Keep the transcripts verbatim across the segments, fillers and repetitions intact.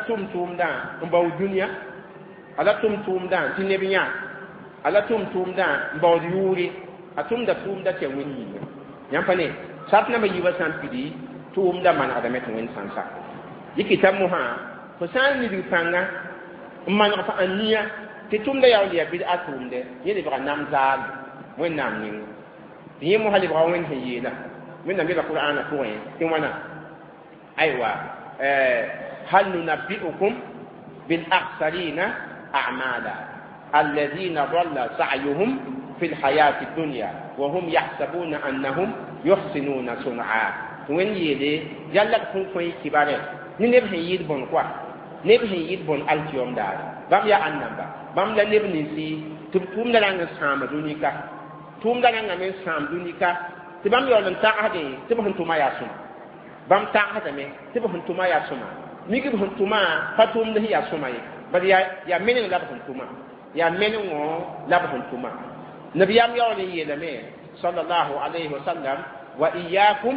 Tʋm tʋʋmdã n baood dũniyã, a la tʋm tʋʋmdã tɩ neb yã, a la tʋm tʋʋmdã n baood yʋʋre, a tʋmda tʋʋmda tɩ ya Wẽnd yĩnga. Yãmb pa ne sat nambã yiibã sã n pidi, tʋʋmda manegdame tɩ Wẽnd sã n sak yɩ kɩta mosã. Fo sã n nidg pãnga n maneg f ãniya tɩ tʋmda yaool yaa bɩd a tʋʋmdɛ, yẽ lebga nam zaal Wẽnnaam ninga tɩ yẽ mosã lebga Wẽnd sẽn yeela. Wẽnnaam yeela Qur'aanã pʋgẽ tɩ wãna: aywa, هل ننبئكم بالأخسرين أعمالا الذين ضل سعيهم في الحياة الدنيا وهم يحسبون أنهم يحسنون صنعا. Wẽnd yeele yalla b sẽn kõ kibare ne neb sẽn yɩɩd bõn koa, neb sẽn yɩɩd bõn alkiyom daare, bãmb yaa ãn namba, bãmb la neb ninsi tɩ b tʋʋmda rãng n sãama dũnika, tʋʋmda rãngame n sãam dũnika, tɩ bãmb yaool n tagsdẽ tɩ b sẽn tʋma yaa sõma. Bãmb tagsdame tɩ b sẽn tʋma yaa sõma, mik b sẽn tʋma pa tʋʋmd sẽn yaa sõma ye, bad yaa yaa meneng la b sẽn tʋma, yaa menengõ la b sẽn tʋma. Nabiyaam yaool n yeelame sallallahu alayhi wa sallam: وإياكم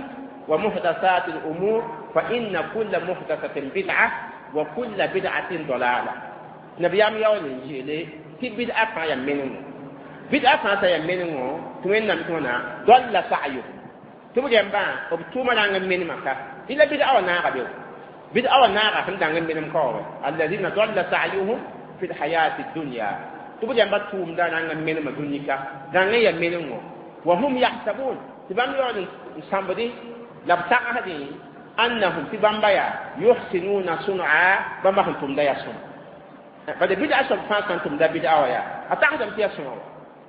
ومحدثات الأمور فإن كل محدثة بدعة وكل بدعة ضلالة. Nabiyaam yaool n yeele tɩ bid'a fãa yaa menengo, bid'a fãa sã yaa menengo tɩ Wẽnnaam tɩ wãna ضل سعيهم, tɩ b rẽmbã b tʋʋma rãng n menema ka ila bid'a wã naaga be, bid'a wã naaga sẽn dãng n menem kaoore. الذين ضل سعيهم في الحياة الدنيا, tɩ b rẽmba tʋʋmda rãng n menema dũnika, rãng n yaa menengo. وهم يحسبون, tɩ bãmb yaool n sãmbdẽ la b tagsdẽ أنهم, tɩ bãmba yaa يحسنون صنعا, bãmba sẽn tʋmda yaa sõma. Bad bid'a soab fãa sã n tʋmda bid'a wã yaa a tagsdame tɩ yaa sõma wa,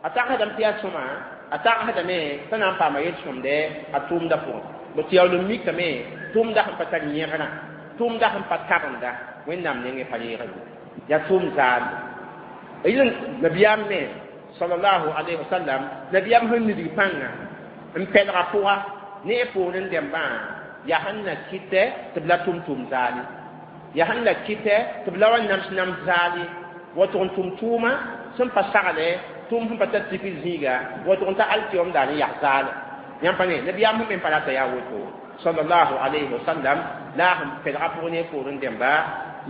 a tagsdame tɩ yaa sõma, a tagsdame t'a na n paama yel-sõmdɛ a tʋʋmda pʋgẽ. Bõ tɩ yaool n mikame tʋʋmda sẽn pa tar yẽgrã, tʋʋmda sẽn pa tabenda Wẽnnaam nengẽ pa reegre, yaa tʋʋm zaal. Yɩl nabiyaam me sallallahu alayhi wa sallam, nabiyaam sẽn nidg pãnga n pɛlga pʋga ne a poorẽ dẽmbã yaa sẽn na kɩtɛ tɩ b la tʋm tʋʋm zaali, yaa sẽn la kɩtɛ tɩ b la wa nams nams zaali, wa tʋg n tʋm tʋʋma sẽn pa sagle, tʋʋm sẽn pa tar tikr zĩiga, wa tʋg n ta alkiyom daar n yag zaala. Yãmb pa ne nabiyaam sẽn me pa rata yaa woto sallallahu alayhi wa sallam, la a sẽn pɛlga pʋg ne poorẽ dẽmba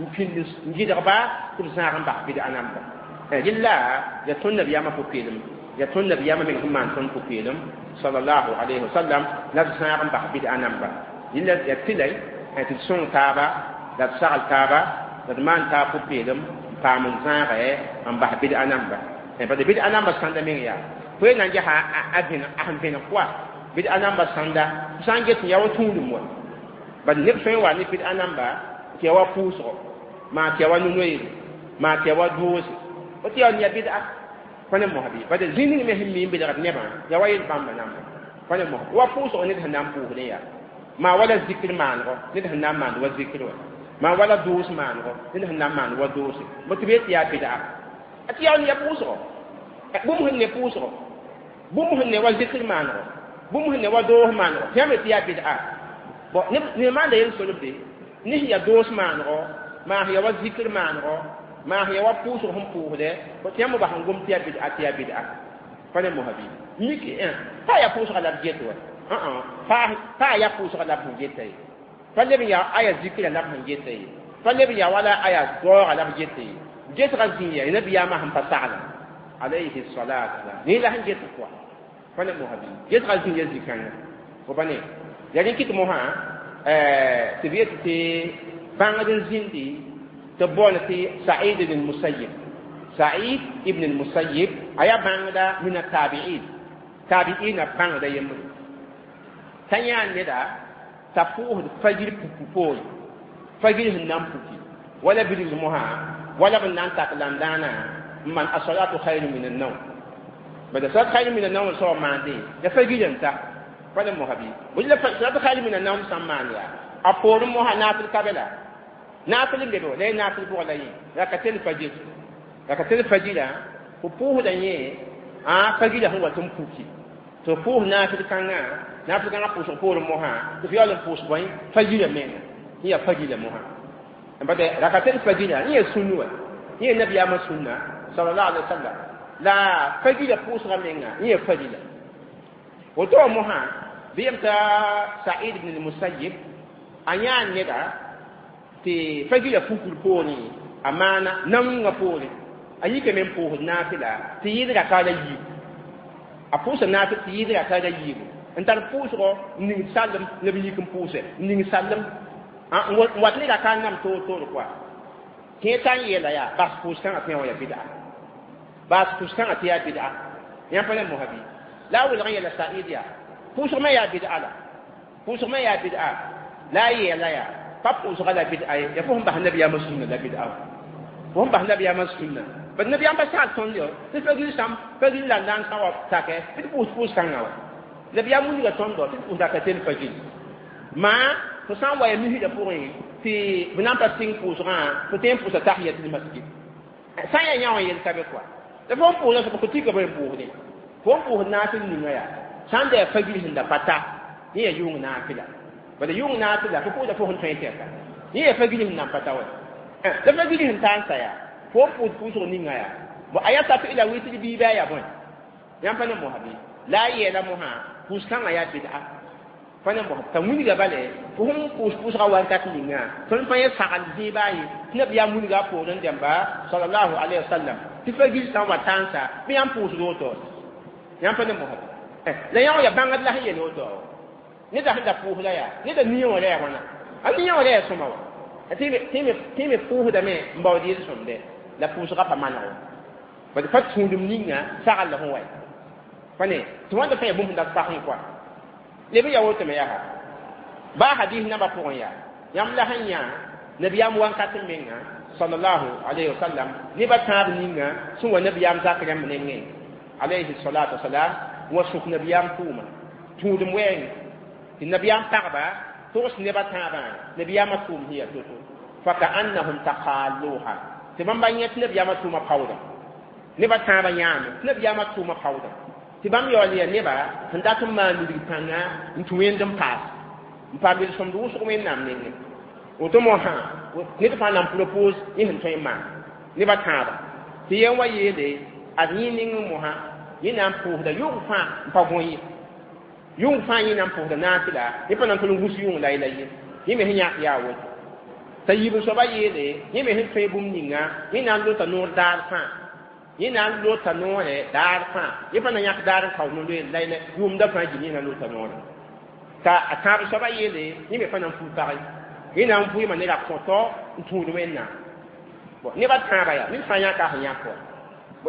n pĩnd n gɩdgba tɩ b zãag n bas bɩd-a namba. Rɩlla yaa tõnd nabiyaamã pʋ-peelem, yaa tõnd nabiyaamã meng sẽn maan tõnd pʋ-peelem sallallahu alayhi wa sallam, la b zãag n bas bɩd-a namba. Rɩlla yaa tɩlay tɩ d sõng taaba, la d sagl taaba, la d maan taab pʋ-peelem n paam n zãagɛ n bas bɩd-a namba. Bad bɩd-a namba sãnda meng yaa fo ye na n ges a sẽn vẽneg pʋa bɩd-a namba sãnda sã n get n yaa wa tũudum wa. Bad neb tõe n wa ne bɩd-a namba tɩ ya wa pʋʋsgo, maa tɩ ya wa no-noeere, maa tɩ ya wa doose fo tɩ ya yaa bɩd-a pa ne mosã bɩ. Bad zĩ ning me sẽn mi n belgd nebã yaa wa yel bãmba namba pa ne mosã wa pʋʋsgo ned sẽn na n pʋʋsdẽ yaa maa wala zikr maanego ned sẽn na n maand wa zikr wa, maa wala doos maanego ned sẽn na n maand wa doose bo tɩ b yet tɩ yaa bɩd-a a tɩ yaa ya pʋʋsgo, bũmb sẽn ne pʋʋsgo, bũmb sẽn ne wa zikr maanego, bũmb sẽn ne wa doos maanego, tɩ yãmb tɩ yaa bɩd-a. Bon, ne maanda yel solbde ne sẽn yaa doos maanego, maa sẽn ya wa zikr maanego, maa sẽn ya wa pʋʋsg sẽn pʋʋsdɛ tɩ yãmb bas n gom tɩ yaa bɩd-a, tɩ yaa bɩd-a pa ne mosã bɩ mik pa yaa pʋʋsga la b get wa, pa yaa pʋʋsga la b sẽn geta ye, pa leb n yaa aya zikra la b sẽn geta ye, pa leb n yaa wala aya daooga la b geta ye. Gesga zĩ ya nabiyaamã sẽn pa sagla alayhi salatu wasalam ne la sẽn get pʋga pa ne mosã bɩ gesga zĩ ya zĩ-kãngã fo pa ne yaa rẽ kɩt mosã tɩ b yet tɩ bãngd n zĩndi tɩ b boond tɩ Saïd ibn Musayyib. Saïd ibn Musayyib a yaa bãngda من التابعين, tabi'ina bãngda yembre t'a yãa neda t'a pʋʋsd fajir puku poore, fajir sẽn na n puki wala bilg mosã wala b na n tak landãanã n maan الصلاة خير من النوم. Bad الصلاة خير من النوم soab maandẽ ya fajir n ta pa ne mosã bɩ bõe la الصلاة خير من النوم sã n maan yaa a poorẽ mosã naafɩl kabela, naafɩl n be be la y naafɩl pʋgã la yẽ ركعتي الفجر, ركعتي الفجر fo pʋʋsda yẽ a fajira sẽn wat n puki tɩ f pʋʋs naafɩl kãngã, naafɩl kãngã pʋʋsg poorẽ mosã tɩ f yaool n pʋʋs bõe fajira menga yẽ yaa fajira mosã. Bad ركعتي الفجر yẽ yaa sũnnu wa, yẽ yaa nabiyaamã sũnna sallallahu alaihi wasallam, la fajira pʋʋsga menga yẽ yaa fajira woto mosã. Bɩ yem t'a Sa'id ibn al-Musayyib a yãa neda. Tɩ fagila pukr poorẽ a maana naoongã poorẽ a yikame n pʋʋsd naafɩla tɩ yɩɩd raka la yiibu a pʋʋsa naafɩl tɩ yɩɩd raka la yiibu n tar pʋʋsgɔ n ning sallem la b yik n pʋʋse n ning sallem n wat ne raka n nam toor toor koa kẽ t'a n yeela yaa bas pʋʋs kãngã tɩ wã yaa bɩda bas pʋʋs kãngã tɩ yaa bɩda yãmb pa ne mosa bɩ la a welg n yeela Said yaa pʋʋsg me yaa bɩda la pʋʋsg me yaa bɩda la a yeela yaa pa pʋʋsga la bɩda ye yaa fo sẽn bas nabiyaamã sũnna la bɩda fo sẽn bas nabiyaamã sũnna bad nabiyaam pa sagl tõnd yo tɩ fagil sãm fagil la n sã wa sakɛ tɩ d pʋʋs pʋʋs kãngã wa nabiyaam wilga tõndo tɩ d pʋʋs raka tel fagil maa fo sã n wa ya misda pʋgẽ tɩ b na n pa sɩng pʋʋsgã fo tõe n pʋʋsa tahiyatul masjid sã n yaa yã wã yel ka be koa la fo n pʋʋsda soab fo tika bõe n pʋʋsdẽ fo n pʋʋsd naafɩl ninga yaa sã n da yaa fagil sẽn da pa ta yẽ yaa yʋng naafɩla bala yʋng naafɩla fo pʋʋsda fo sẽn tõe tɛka yẽ yaa fagil sẽn nan pa ta wa la fagil sẽn ta n sa yaa fo n pʋʋs pʋʋsg ninga yaa bo a yaa safi la wɩtr biiba yaa bõe yãmb pa ne mosa bɩ la a yeela mosã pʋʋs kãngã yaa bɩda pa ne mosa t'a wilga bale fo sẽn pʋʋs pʋʋsgã wakat ninga tõnd pa yẽ sagl zẽebã ye tɩ nabiyaam wilga a poorẽ dẽmba sallallahu alayhi wa sallam tɩ fagil sã n wa tãnsa bɩ yãmb pʋʋsd woto yãmb pa ne mosa la yã wã yaa bãngd la sẽn yel woto neda sẽn da pʋʋsda yaa neda nia wã la yaa wãna a nia wã la yaa sõma wa tɩ me pʋʋsdame n baood yel-sõmde la pʋʋsgã pa manego bad pa tũudum ninga sagl la sẽn wa pa ne tɩ wãnda fãa yaa bũmb sẽn dat pasẽ koa leb n yaa woto me yaa baa hadis nambã pʋgẽ yaa yãmb la sẽn yã nabiyaam wakat n menga sallallahu alayhi wa sallam nebã tãab ninga sẽn wa nabiyaam zak rãmb nengẽ alayhi salatu wasalam wa sʋk nabiyaam tʋʋma tũudum wɛɛngẽ tɩ nabiyaam pagba togs nebã tãabã nabiyaamã tʋʋm sẽn yaa to-to fakaannahum taqalluha tɩ bãmba yẽ tɩ nabiyaamã tʋʋmã paoodã nebã tãabã yãame tɩ nabiyaamã tʋʋmã paoodã tɩ bãmb yaool yaa neba sẽn dat n maan wilg pãnga n tũ wẽnd n paas n paam yel-sõmd wʋsg wẽnnaam nengẽ woto mosã ned fãa na n propose yẽ sẽn tõe n maan nebã tãaba tɩ yẽ wa yeele ad yẽ ning mosã yẽ na n pʋʋsda yʋng fãa n pa gõ ye yʋng fãa yẽ na n pʋʋsda naafɩla yẽ pa na n tol n gus yʋng la la ye yẽ me sẽn yãk yaa woto t'a yiib soaba yeele yẽ me sẽn tõe bũmb ninga yẽ na n lota noor daar fãa yẽ na n lota noorɛ daar fãa yẽ pa na yãk daar n kao no-loeer la la yʋʋmda fãa gil yẽ na n lota noorɛ t'a a tãab soaba yeele yẽ me pa na n fuu pag yẽ na n vʋɩɩma ne ra-kõtɔ n tũud wẽnnaam nebã tãabã yaa ned fãa yãka sẽn yãk wa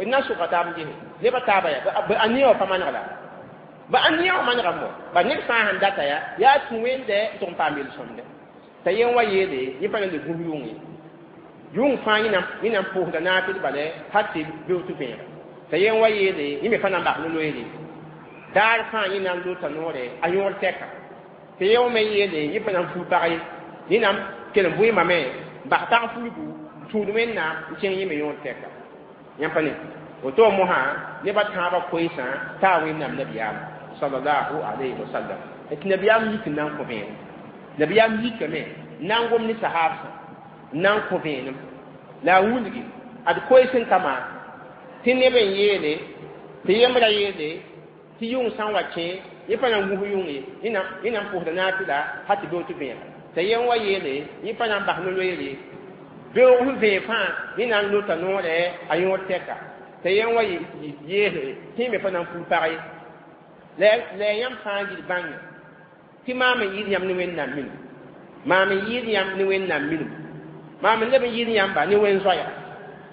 b na n sʋka taab n gese nebã taaba yaa a nia wã pa maneg la ba a nia wã manegame wa ba ned fãa sẽn data yaa yaa tũ wẽnde n tʋg n paam yel-sõmde t'a yẽ wa yeele yẽ pa na le gũs yʋng ye yʋng fãa yẽ na n pʋʋsda naafɩl bala hal tɩ beoog tɩ vẽega t'a yẽ wa yeele yẽ me pa na n bas no-loeere daar fãa yẽ na n lota noorɛ a yõor tɛka tɩ yẽ wã me yeele yẽ pa na n fuu pag ye yẽ na n kell n vʋɩɩmame n bas tag fulgu n tũud wẽnnaam n kẽng yẽ me yõor tɛka yãmb pa ne woto mosã nebã tãabã koeesã taa wẽnnaam nabiyaam sallallahu alayhi wa sallam tɩ nabiyaam yik n na n kõ vẽenem nabiyaam yikame n na n gom ne sahaabsã n na n kõ vẽenem la a wilgi ad koees n ka maan tɩ neb n yeele tɩ yembra yeele tɩ yʋng sã n wa kẽ yẽ pa na n gũs yʋng ye yẽ na n pʋʋsda naafɩla hal tɩ beoog tɩ vẽega t'a yẽ wa yeele yẽ pa na n bas no-loeere beoog sẽn vẽeg fãa yẽ na n lota noorɛ a yõor tɛka t'a yẽ wa yeese tɩ yẽ me pa na n fuu pag ye la yãmb fãa gil bãnge tɩ maam n yɩɩd yãmb ne wẽnnaam minim maam n yɩɩd yãmb ne wẽnnaam minim maam n leb n yɩɩd yãmba ne wẽn-zoɛɛga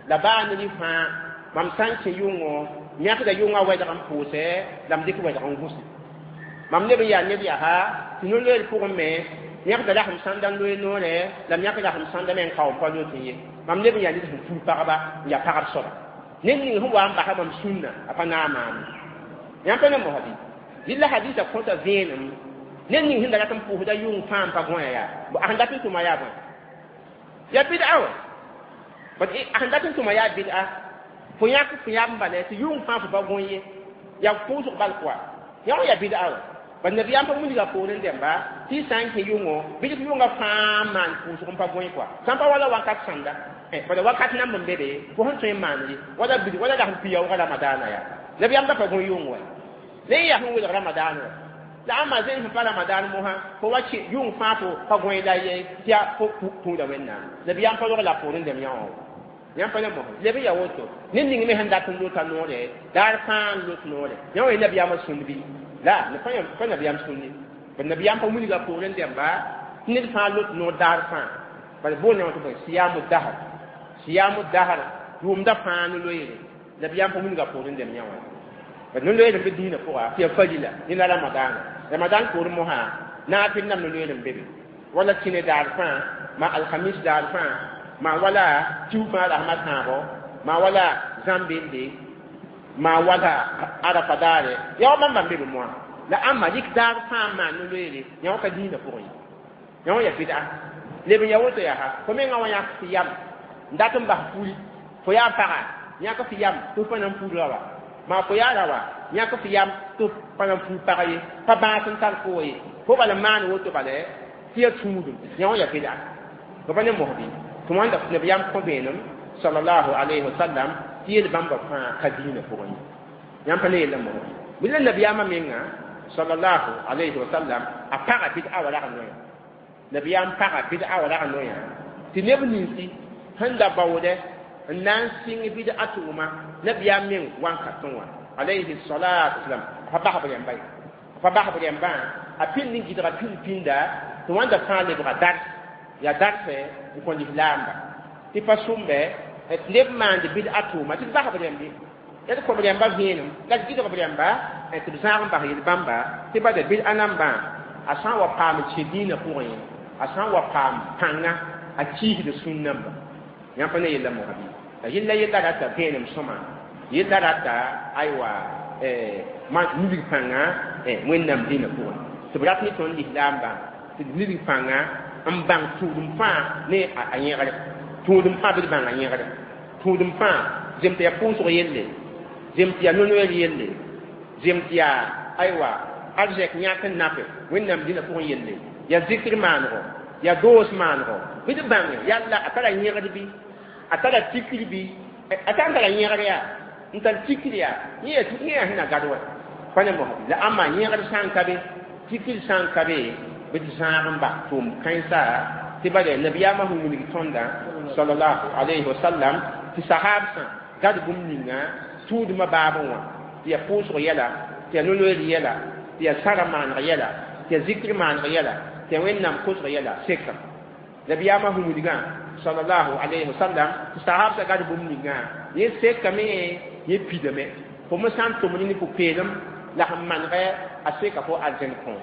la baa ned fãa mam sã n kẽ yʋngõ yãkda yʋngã wɛdg n pʋʋsɛ la m dɩk wɛdg n gũse mam leb n yaa ned yaa tɩ no-loeer pʋgẽ me yãkda rasem sãnda n loe noorɛ la m yãk rasem sãnda me n kao n pa lot n ye mam leb n yaa ned sẽn fuu pagba n yaa pagb soaba ned ning sẽn wa n basa mam sũnna a pa naag maame yãmb pa ne mosa bɩ dɩl la hadisa kõta vẽenem ned ning sẽn da rat n pʋʋsda yʋng fãa n pa gõe yaa a sẽn dat n tʋma yaa bõe yaa bɩda wa bat a sẽn dat n tʋma yaa bɩda fo yãk fo yãb n bala tɩ yʋng fãa fo pa gõ ye yaa pʋʋsg bal koa yã wã yaa bɩda wa ba nabiyaam pa wilga poorẽ dẽmba tɩ y sã n kẽ yʋngõ bɩ dɩk yʋngã fãa n maan pʋʋsg n pa gõe koa sã n pa wala wakat sãnda bala wakat namb n be be fo sẽn tõe n maan ye wala bid wala rasem piyaoogã ramadaana yaa nabiyaam da pa gõ yʋng wa la y yaa sẽn welg ramadaana wa La ãmba zẽn sẽn pa Ramadan mosã fo wa kẽ yʋng fãa fo pa gõe la ye tɩ yaa fo tũuda Wẽnnaam. Nabiyaam pa rog la poorẽ dẽm yã wã. Yãmb pa ne mosã leb n yaa woto ned ning me sẽn dat n lota noore daar fãa n lot noore yã wã nabiyaamã sũnd bɩ la pa nabiyaam sũnd ye nabiyaam pa wilga poorẽ dẽmba tɩ ned fãa lot noor daar fãa bala bool yã wã tɩ bõe siyamu dahar siyamu dahar yʋʋmda fãa ne loeere nabiyaam pa wilga poorẽ dẽm yã wã bala ne loeere n be dĩinã pʋga tɩ ya farila ne la ramadaana ramadan poorẽ mosã naafɩl nam ne loeere n be be wala tĩne daar fãa ma alhamis daar fãa ma wala tĩu fãa rasmã tãabo ma wala zãmbende ma wala arafa daare yaa wa bãmba n be be moã la ãmba rɩk daar fãa n maan ne loeere yã wã ka dĩinã pʋgẽ ye yã wã yaa bɩda leb n yaa woto yaa fo mengã wã yãk tɩ yam n dat n bas puri fo yaa paga yãk tɩ yam tɩ f pa na n pur rawa maa fo yaa rawa yãk tɩ yam tɩ f pa na n pur pag ye pa bãas n tar fo ye fo bala n maan woto bala tɩ yaa tũudum yã wã yaa bɩda fo pa ne mosbi tɩ wãnda nabiyaam kõ vẽenem sallallahu alayhi wa sallam tɩ yel bãmba fãa ka dĩinã pʋgẽ ye yãmb pa ne yella mosbi bɩ la nabiyaamã menga sallallahu alayhi wa sallam a paga bɩd'a wa rag noya nabiyaam paga bɩd'a wa rag noya tɩ neb ninsi sẽn da baoodɛ n na n sɩng bɩd'a tʋʋma nabiyaam meng wan ka tõe wã alayhi salatu wasalam a pa basb rẽmba ye a pa basb rẽmbã a pĩnd n gɩdga pĩnd pĩnda tɩ wãnda fãa lebga dars yaa darsɛ n kõ lislaamba tɩ pa sʋmbɛ tɩ neb maand bɩd'a tʋʋma tɩ d basb rẽmbe d kõb rẽmba vẽenem la d gɩdg b rẽmba tɩ b zãag n bas yel-bãmba tɩ bada bɩd'a nambã a sã n wa paam kẽ dĩinã pʋgẽ a sã n wa paam pãnga a kiisd sũn-namba yãmb pa ne yella mosa bɩ la yella yella rata vẽenem sõma yella rata aywa nidg pãnga Wẽnnaam dĩinã pʋgẽ tɩ b rat ne tõnd lislaambã tɩ d nidg pãnga n bãng tũudem fãa ne a yẽgre tũudem fãa bɩ d bãng a yẽgre tũudem fãa zem tɩ yaa pʋʋsg yelle zem tɩ yaa no-noeer yelle zem tɩ yaa aywa arzɛk yãk n nape Wẽnnaam dĩnã pʋgẽ yelle yaa zikr maanego yaa doos maanego bɩ d bãnge yalla a tara yẽgd bɩ a tara tikr bɩ a sã n tara yẽgr yaa n tar tikr yaa yẽ yaa sẽn na gad wa pa ne mosbi la ãmba yẽgd sã n ka be tikr sã n ka be bɩ d zãag n bas tʋʋm kãensa tɩ bala nabiyaamã sẽn wilg tõndã sallallahu alayhi wa sallam tɩ sahaabsã gad bũmb ninga tũudmã baabẽ wã tɩ yaa pʋʋsg yɛla tɩ yaa no-loeer yɛla tɩ yaa sara maaneg yɛla tɩ yaa zikr maaneg yɛla tɩ yaa Wẽnnaam kosg yɛla sekam nabiyaamã sẽn wilgã sallallahu alayhi wa sallam tɩ sahaabsã gad bũmb ningã yẽ sekame yẽ pidame fo me sã n tʋmd ne pʋ-peelem la sẽn manegɛ a seka fo arzẽn kõom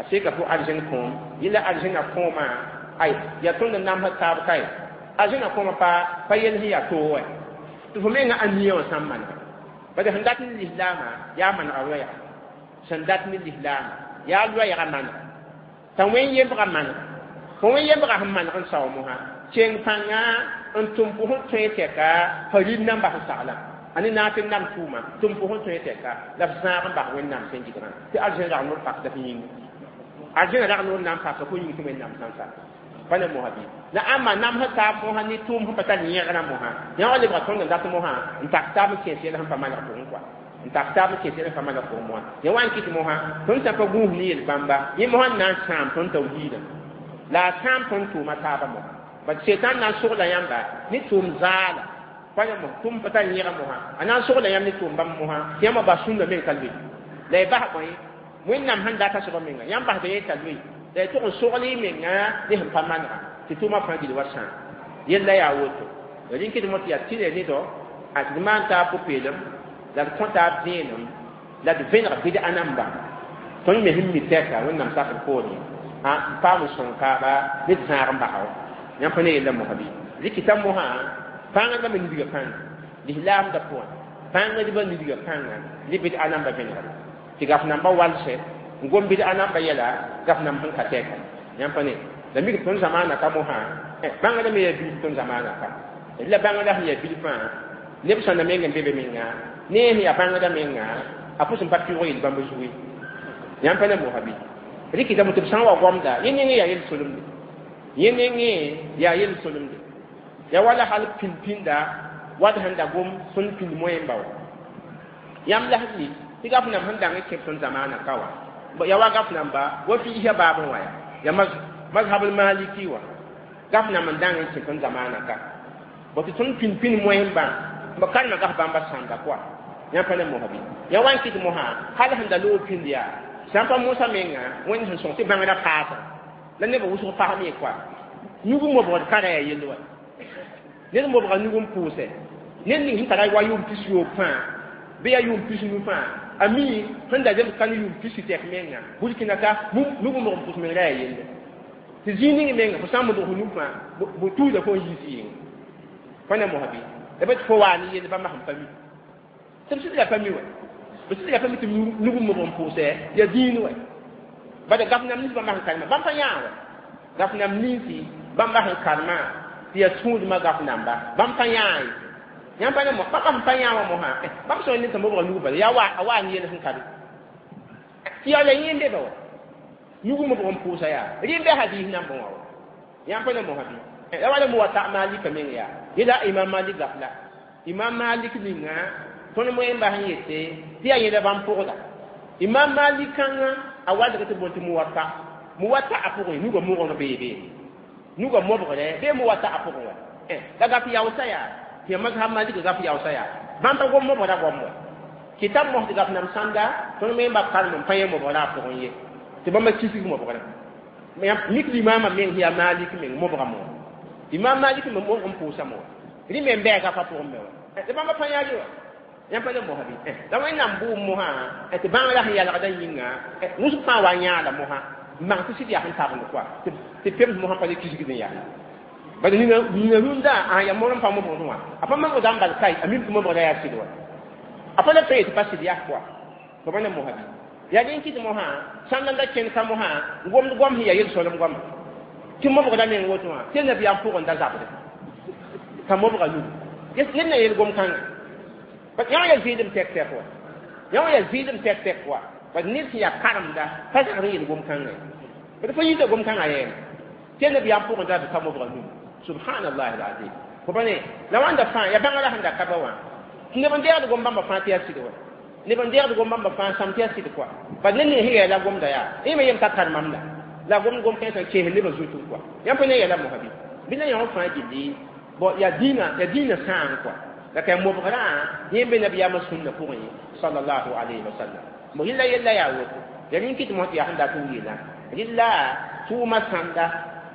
a seka fo arzẽn kõom yẽla arzẽna kõomã ay yaa tõnd n namsd taab kae arzẽna kõomã pa pa yel sẽn yaa toog wɛ tɩ fo menga ãnia wã sã n manega bala sẽn dat ne lislaamã yaa manega loɛɛga sẽn dat ne lislaamã yaa loɛɛga manega t'a wẽn yembga manega fo wẽn yembga sẽn maneg n sao mosã keng pãnga n tʋm fo sẽn tõe tɛka fa rɩl namba sẽn saglã a ne naaf n nam tʋʋma tʋm fo sẽn tõe tɛka la f zãag n bas Wẽnnaam sẽn gɩdgã tɩ arzẽn rag noor pakda f yĩnga arzẽna rag noor na n paka fo yĩng tɩ Wẽnnaam sã n sak pa ne mosã bɩ la ãmba namsd taab mosã ne tʋʋm sẽn pa tar yẽgrã mosã yã wa lebga tõnd n dat mosã n tak taab n kẽes yɛl sẽn pa maneg pʋgẽ kɔa n tak taab n kẽes yɛl sẽn pa maneg pʋgẽ mosã yã wa n kɩt mosã tõnd sã pa gũus ne yel-bãmba yẽ mosã n na n sãam tõnd tawhiidã la a sãam tõnd tʋʋma taabã mosã bat setan na n sogla yãmba ne tʋʋm zaala pa ne mos tʋʋm pa tar yẽga mosã a na n sogla yãmb ne tʋʋm bãmb mosã tɩ yãmba bas sũnda meng ka loe la y bas bõe Wẽnnaam sẽn data soaba menga yãmb basda yẽ t'a loe la y tʋg n sogl y menga ne sẽn pa manega tɩ tʋʋmã fãa gil wa sãam yella yaa woto rĩnkd mo tɩ yaa tɩ nedɔ a tɩ d maan taab pʋ-peelem la d kõ taab vẽenem la d vẽneg bɩd'a namba tõnd me sẽn mi tɛka Wẽnnaam sakr poorẽ n paam n sõng taaba ne d zãag n basa wa yãmb pa ne yella mosã bɩ rɩkɩta mosã pãngdbã me nidga pãnga lislaamdã pʋgẽ pãngdbã nidga pãnga ne bɩd'a namba vẽnegre tɩ gaf namba walsɛ n gom bɩd'a namba yɛla gaf namb sẽn ka tɛka yãmb pa ne la mik tõnd zamaana ka mosã bãngda me yaa bilf tõnd zamaana ka la bãngda sẽn yaa bilfã neb sõnda meng n be be menga ne sẽn yaa bãngda menga a pʋs n pa pɩʋg yel-bãmb zugu ye yãmb pa ne mosã bɩ rɩkɩtame tɩ b sã n wa goamda yẽ nengẽ yaa yel-solemde yẽ nengẽ yaa yel-solemde ya wala hal pĩnd-pĩnda wad sẽn da gom tõnd pĩnd moẽmba wa yãmb la sẽn mi tɩ gaf nam sẽn dang n kẽb tõnd zamaana ka wa Ya wa gaf namba wa fi ya babu wa ya mazhab al maliki wa gaf na man dang n kẽ zamana ka bo tɩ tõnd pin pin moẽmbã b karema gaf bãmba sãnda kɔa yãmb pa ne mosa bɩ ya wa n kɩt mosã hal sẽn da loog pĩnd yaa sã n pa mosa menga wẽnd sẽn sõng tɩ bãngrã paasã la nebã wʋsg fasem ye kɔa nug mobgd ka ra yaa yell wa ned mobga nug n pʋʋsɛ ned ning sẽn tara wa yʋʋm pis yoob fãa bɩ yaa yʋʋm pis nu fãa a mi sẽn da zems ka ne yʋʋm pis tɛk menga burkina ka nug n mog n pʋs meng ra yaa yelle tɩ zĩig ning menga fo sã n modg fo nug fãa bo tuuda fo n yiis yɩnga fo ne mosa bɩ la bɩ tɩ fo waa ne yell bãmba sẽn pa mi tɩ b sɩd la pa mi wa b sɩd la pa mi tɩ nug n mog n pʋʋsɛ yaa dĩin wa bala gaf nam nins bãmba sẽn karema bãmb pa yãa wa gaf nam ninsi bãmba sẽn karema tɩ yaa tũudmã gaf namba bãmb pa yãa ye yãmb pa ne mo bãmba sẽn pa yãa wã mosã bãmb sã n ne tɩ mobga nug bala yaa wa a waa ne yell sẽn ka be tɩ yaa la yẽ n be ba wa nug mobg n pʋʋsa yaa rɩ n bɛ hadis nambẽ wã wa yãmb pa ne mosã bɩ la wala muwata malika meng yaa yela imam malik gaf la imam malik ninga tõnd moẽmba sẽn yete tɩ yaa yẽla bãmb pʋgda imam malik kãngã a walg tɩ boond tɩ muwata muwata a pʋgẽ nugã mogr beebe nugã mobgre bee muwata a pʋgẽ wa la gaf yaoosa yaa tɩ yaa mazhab malik gaf yaoosa yaa bãmb pa gom mobgra goam wa kitab mos tɩ gaf nam sãnda tõnd moẽmba karem n pa yẽ mobgrã a pʋgẽ ye tɩ bãmba kisg mobgrã mik limaamã meng yaa malik meng mobga mo imam malik me mobg n pʋʋsa mo rẽ me n bɛɛ gafa pʋgẽ me wa tɩ bãmba pa yãag wa yãmb pa ne mosã bɩ la wẽnnaam bʋʋm mosã tɩ bãngrã sẽn yalgdã yĩnga wʋsg fãa wa yãada mosã n maan tɩ sɩd yaa sẽn tabend kɔa tɩ pems mosã pa le kisgd n yaa bala nina nina rũndã a yaa mor n pa mobgd wã a pa mobgda n bal kai a mim tɩ mobgda yaa sɩd wa a pa le pa yetɩ pa sɩd yaa kɔa fo pa ne mosã bɩ yaa dẽn kɩt mosã sãn da kẽnd ka mosã gomd goam sẽn yaa yel-solem goama tɩ mobgda meng woto wã tɩ nabiyaam pʋgẽ da zabde t'a mobga nug ned na yel gom kãnga yã yaa zɩɩdem tɛk tɛk wa yã wã yaa zɩɩdem tɛk tɛk wa bad ned sẽn yaa karemda pa zagd n yel gom kãnga ye bad fo yita gom kãngã yɛɛme tɩ nabiyaam pʋgẽ da t'a mobga nug subhanallahi alazim fo pa ne la wãnda fãa yaa bãngrã sẽn da ka ba wã tɩ neb n deegd gom bãmba fãa tɩ yaa sɩd wa neb n deegd gom bãmba fãa sãm tɩ yaa sɩd kɔa bad ned ning sẽn yɛɛla gomda yaa yẽ me yem t'a karemam la la gom gom kãensã kees nebã zutẽ kɔa yãmb pa ne yɛla mosã bɩ bɩ la yã fãa gilli bon yaa dĩinã yaa dĩinã sãam kɔa la ka mobgrã yẽ be nabiyaamã sũnna pʋgẽ sallallahu alayhi wa sallam mo rɩla yella yaa woto ya rẽn kɩt mos tɩ yaa sẽn dat n yeelã rɩla tʋʋmã sãnda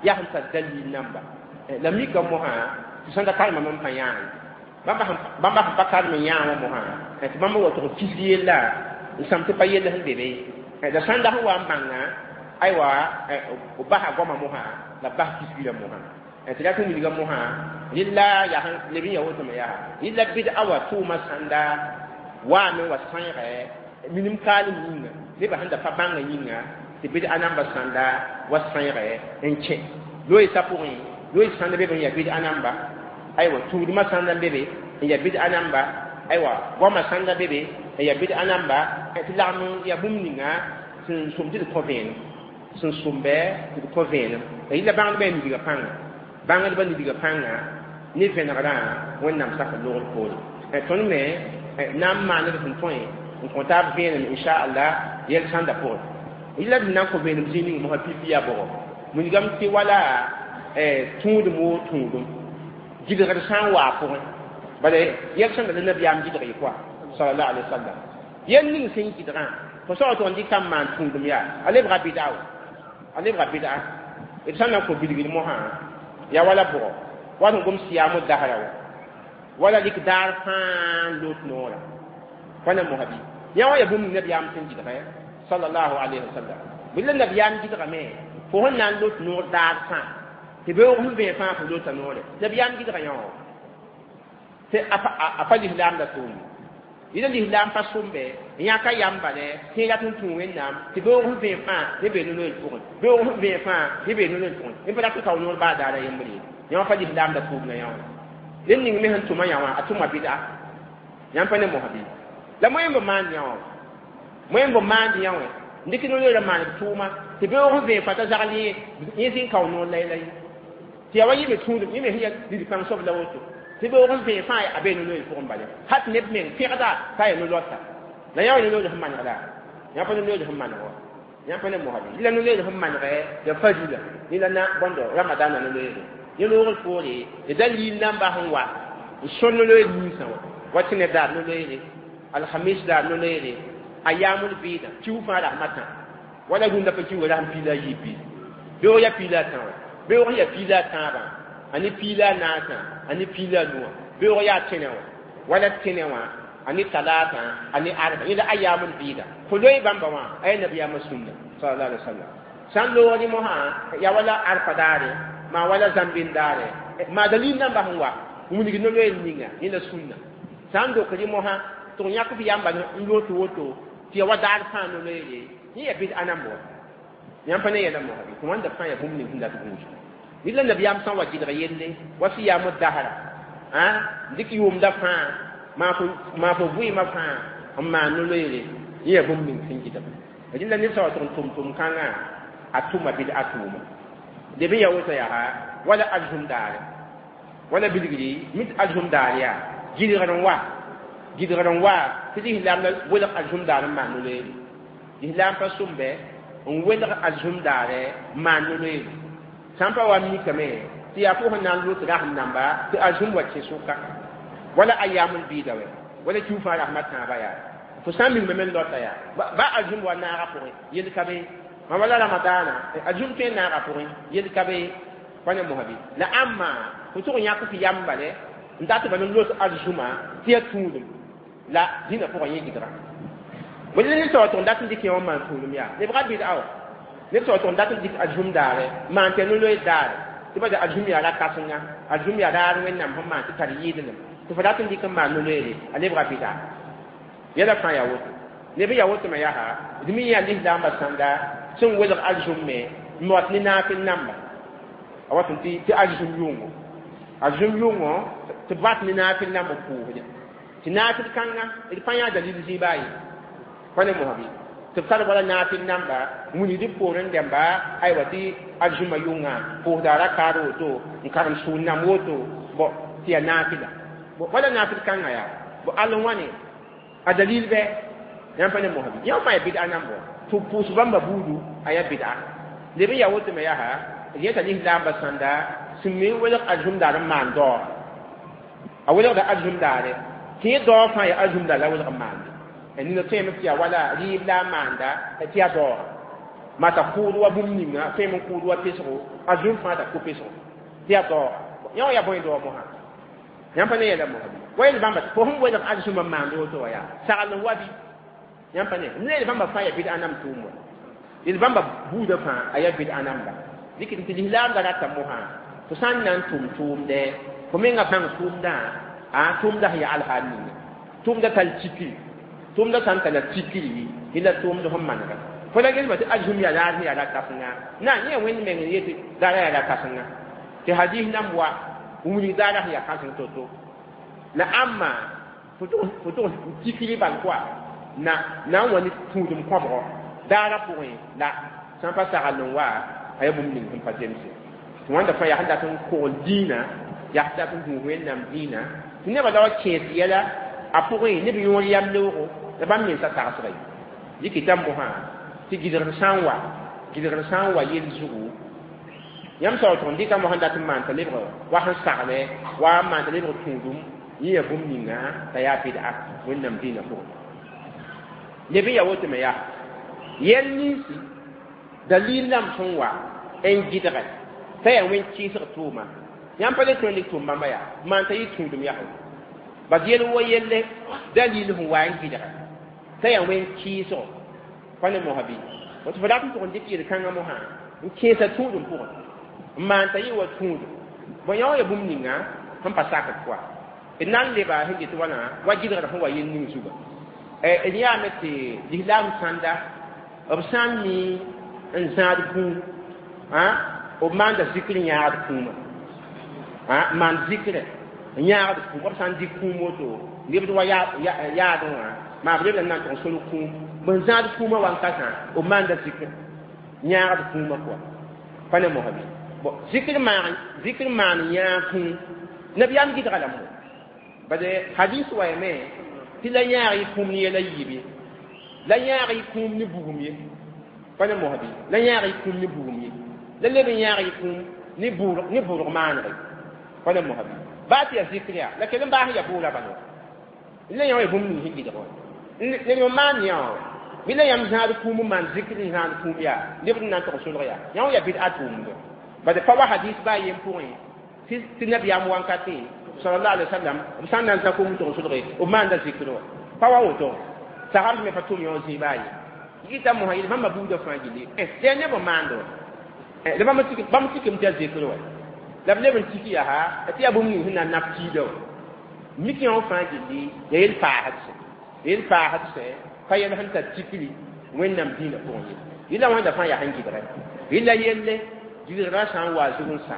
yaa sẽn tar dalil namba la mika mosã tɩ sãnda karemame n pa yãag bãmba sẽn pa karem n yãag wã mosã tɩ bãmba wa tʋg kisg yella n sãm tɩ pa yell sẽn be be la sãnda sẽn wa n bãnga aywa b basa goamã mosã la b bas kisgrã mosã tɩ rat n wilga mosã rɩla yaa leb n ya woto me yaa rɩla bɩd-a wa tʋʋmã sãnda waame wa sãeegɛ minim kaalem yĩnga nebã sẽn da pa bãngã yĩnga tɩ bɩd-a namba sãnda wa sãeegɛ n kẽ loeesa pʋgẽ loees sãnda be b n yaa bɩd-a namba aywa tũudmã sãnda n be be n yaa bɩd-a namba aywa goamã sãnda be be n yaa bɩd-a namba tɩ lagm yaa bũmb ninga sẽn sʋm tɩ d kõ vẽenem sẽn sʋmbɛ tɩ d kõ vẽenem la yɩla bãngdbã yaa nidgã pãnga bãngdbã nidgã pãnga ne vẽnegrã wẽnnaam sak logr poore tõnd me na n maand d sẽn tõe n kõ taab vẽenem inchallah yɛl sãnda pʋgẽ yɩla d na n kõ vẽenem zĩig ning mosã pipi yaa bʋgɔ wilgame tɩ wala tũudem woo tũudum gɩdgd sã n waa pʋgẽ bala yɛl sẽn da la nabiyaam gɩdg ye kɔa sallallahu alaihi wasallam yɛl ning sẽn gɩdgã fo soag tɩ n dɩka n maan tũudum yaa a lebga bɩda wa a lebga bɩda d sã n na n kõ bilgd mosã yaa wala bʋgɔ wa sẽn gom sɩyaam dasra wa wala lik daar fãa n lot noora pa na mosã bɩ yã wã yaa bũmb nabiyaam sẽn gɩdgã sallallahu alaihi wasallam bɩ la nabiyaam gɩdgame fo sẽn na n lot noor daar fãa tɩ beoog sẽn vẽe fãa fo lota noore nabiyaam gɩdga yã wã tɩ a pa lislaam la tʋʋm yɩla lislaam pa sʋmbe n yãka yam bale tɩ rat n tũ wẽnnaam tɩ beoog sẽn vẽe fãa ne bee no-noel pʋgẽ beoog sẽn vẽe fãa ne bee no-noel pʋgẽ ne pa rat n kao noor baa daara yembre ye yã wã pa lislaam la tʋʋm la yã wã ned ning me sẽn tʋma yã wã a tʋma bɩda yãmb pa ne mosã bɩ la moẽmb maand yã wã moẽmb maand yã wã n dɩk no-noelã maan b tʋʋma tɩ beoog sẽn vẽe fãa t'a zagl yẽ yẽ zĩn kao noor la-y-la ye tɩ yaa wa yɩ me tũudum yẽ me sẽn yaa lid-pãng soab la woto tɩ beoog n vẽe fãa a bee no-noel pʋgẽ bale hat neb meng pẽgda t'a yaa no-loata la yã wa no-noel sẽn manegda yã pa no-noel sẽn maneg wa Yãmb pa ne mosã la no-loeer sẽn manegɛ ya farila ne la na bõndo ramadana no-loeere yẽ loogr poore d dalil namba sẽn wa n sõ no-loeer ninsã wã wa tẽne daar no-loeere alhamis daar no-loeere a yaaml bɩɩdã kiu fãa rasmã tã wala rũndã pa kiuga rasem piila a yiib bɩ beoog ya piila a tã wã beoog ya piila a tãabã a ne piila a naasã a ne piila a nuwã beoog yaa tẽnɛ wã wala tẽnɛ wã a ne talaatã a ne arba yẽ la a yaaml bɩɩda fo loe bãmba wã a yaa nabiyaamã sũnna sallallahu alaihi wasallam sãn loogd mosã ya wala arfa daare maa wala zãmbɩn daare maa dalil namba sẽn wa wilg no-loeer ninga yẽ la sũnna sã n dokd mosã tɩ f yãk f yamba n loot woto tɩ ya wa daar fãa no-loeere yẽ ya bɩd ãnam wa yãmb pa ne yɛla mosã bɩ tɩ wãnda fãa ya bũmb ning sẽn dat gũus ned la nabiyaam sã n wa gɩdg yelle wa sɩyaam dasra dɩk yʋʋmda fãa maa fo vɩɩmã fãa n maan no-loeere yẽ ya bũmb ning sẽn gɩdg rẽnda ned sã wa tʋg n tʋm tʋm kãngã a tʋma bɩd a tʋʋma leb n ya woto yaa wala arzũm daare wala bilgri mit arzũm daar yaa gɩdgr n wa gɩdgr n wa tɩ lislaam la welg arzũm daar n maan no-loeere lislaam pa sʋmbe n welg arzũm daare n maan no-loeere sã n pa wa mikame tɩ yaa fo sẽn na n lot rasem namba tɩ arzũm wa kẽ sʋka wala a yaaml bɩɩda wɛ wala kiu fãa rasmã tãabã yaa fo sã n mingme me n lota yaa ba arzũm wa naaga pʋgẽ yel ka be ma wala ramadana arzũm tõe n naaga pʋgẽ yel ka be pa ne mosã bɩ la ãmma fo tʋg yãk f yamba le n dat bal n los arzũma tɩ ya tũudum la dĩnã pʋgã yẽ gɩdga wala ned sã wa tʋg n dat n dɩk yẽ wã maan tũudum yaa lebga bɩd awa ned sã wa tʋg n dat n dɩk arzũm daare maan tɩ ya no-loeer daare tɩ ba arzũm yaa ra-kãsenga arzũm yaa raar wẽnnaam sẽn maan tɩ tar yɩɩdlem tɩ fo dat n dɩk n maan no-loeere a lebga bɩda yɛla fãa yaa woto neb n yaa woto me yaa d mi yaa lislaambã sãnda sẽn welg arzũm me n wat ne naafɩl namba a wat n tɩ tɩ arzũm yʋngo arzũm yʋngo tɩ b wat ne naafɩl namb n pʋʋsde tɩ naafɩl kãnga d pa yã dalil zĩiba a ye pa ne mosã bɩ tɩ b tar wala naafɩl namba wilgd b poorẽ dẽmba aywa tɩ arzũmã yʋngã pʋʋsda rakaad woto n karem sũur nam woto bõ tɩ yaa naafɩla wala naafɩl kãngã yaa bo all n wãne a dalil bɛ yãmb pa ne mosã bɩ yã fãa ya bɩd a nambɔ tɩ pʋʋs bãmba buudu a yaa bɩda leb n yaa woto me yaa d yeta lislaambã sãnda sẽn me n welg arzũm daar n maan daoor a welgda arzũm daare tɩ yẽ daoor fãa yaa arzũm daar la welg n maande nina tõeme tɩ yaa wala rɩɩb la a maanda tɩ yaa daoora maa t'a kʋʋd wa bũmb ninga tõeme n kʋʋd wa pesgo arzũm fãa t'a kʋ pesgo tɩ yaa daoora yã wã yaa bõe daoor mosã yãmb pa ne yɛla mosã bɩ wa yel bãmba fo sẽn welg arzũmã maand woto wã yaa sagl n wa bɩ yãmb pa ne ne yel bãmba fãa yaa bɩd ãnam tʋʋm wa yel bãmba buudã fãa a yaa bɩd ãnamba dɩk tɩ lislaamda rata mosã fo sã n na n tʋm tʋʋmdɛ fo menga bãng tʋʋmdã a tʋʋmda sẽn yaa alhaal ninga tʋʋmda tall tikri tʋʋmda sã n talla tikri la tʋʋmd sẽn manega fo la gelma tɩ arzũm yaa raar sẽn yaa ra-kãsenga na yẽ wẽnd meng n yetɩ daara yaa ra-kãsenga tɩ hadis nan wa wilg daara sẽn yaa kãseng to-to la ãmma fo tʋg tikri bal koa na na n wa ne tũudem kõbgɔ daara pʋgẽ la sã n pa sagl n wa a yaa bũmb ning sẽn pa zemse tɩ wãnda fãa yaa sẽn dat n kogl dĩinã yaa sẽn dat n gũus wẽnnaam dĩinã tɩ nebã la wa kẽes yɛla a pʋgẽ neb yõor yam leoogo la bãmb mensã tagsga ye dɩkɩta mosã tɩ gɩdgr sã n wa gɩdgr sã n wa yell zugu yãmb sã wa tʋg n dɩka mosã dat n maan t'a lebg wa sẽn sagle wa n maan t'a lebg tũudum yẽ yaa bũmb ninga t'a yaa bɩd'a wẽnnaam dĩinã pʋgẽ leb n yaa woto me yaa yɛl ninsi dalil lam sẽn wa n gɩdgɛ t'a yaa wẽn kɩɩsg tʋʋma yãmb pa le tõe n dɩk tʋʋm bãmba yaa maan t'a yɩ tũudum yaa bas yel wa yelle dalil sẽn wa n gɩdgɛ t'a yaa wẽn kɩɩsgo pa ne mosã bɩ woto fo dat n tʋg n dɩk yel-kãngã mosã n kẽesa tũudum pʋgẽ n maan t'a yɩ wa tũudum bõ yã wã yaa bũmb ninga sẽn pa sakd pʋa d na n leba sẽn get wãna wa gɩdgr sẽn wa yel ning zuga d yaame tɩ lislaam sãnda b sã n mi n zãad kũum b maanda zikr yãagd kũumã maan zikrɛ n yãagd kũum b sã n dɩk kũum woto lebd wa yaadẽ wã maa b lebda n na n tʋg n solg kũum bõn zãad kũumã wankatã b maanda zikr yãagd kũumã pʋga pa ne mosã bɩ bon zikr maan zikr maan yãag kũum nabiyaam gɩdga lame bade hadis wa yame tɩ la yãag y kũum ne yɛla yiibe la yãag y kũum ne bugum ye Pa ne mosã bɩ la yãag y kũum ne bugum ye la leb n yãag y kũum ne bʋʋrg ne bʋʋrg maanege pa ne mosã bɩ baa tɩ yaa zikr yaa la kell n baas n yaa bʋʋra bala la yã wa bũmb ning sẽn gɩdg wã ned n maan yã wã bɩ la yãmb zãad kũum n maan zikr n zãad kũum yaa neb n na n tog solg yaa yã wã yaa bɩd-a tʋʋmdɔ bad pa wa hadis baa yen pʋgẽ tɩ nabiyaam wankatẽ sallallahu alaihi wasallam b sã n na n zã kũum n tog solge b maanda zikr wã pa wa woto sagam me pa tʋm yõ zĩig baa ye yita mosã yel bãmba buudã fãa gilli tɩ yaa neb n maanda wã la bãmb tikame tɩ yaa zikr wã la b leb n tik yaa tɩ yaa bũmb ning sẽn na n naf kiida wã mik yã wã fãa gilli ya yel paasd sẽ yel paasd sẽ pa yɛl sẽn tar tikri wẽnnaam dĩinã pʋgẽ ye yella wãnda fãa yaa sẽn gɩdgɛ yella yelle gɩdgrã sã n wa zug n sa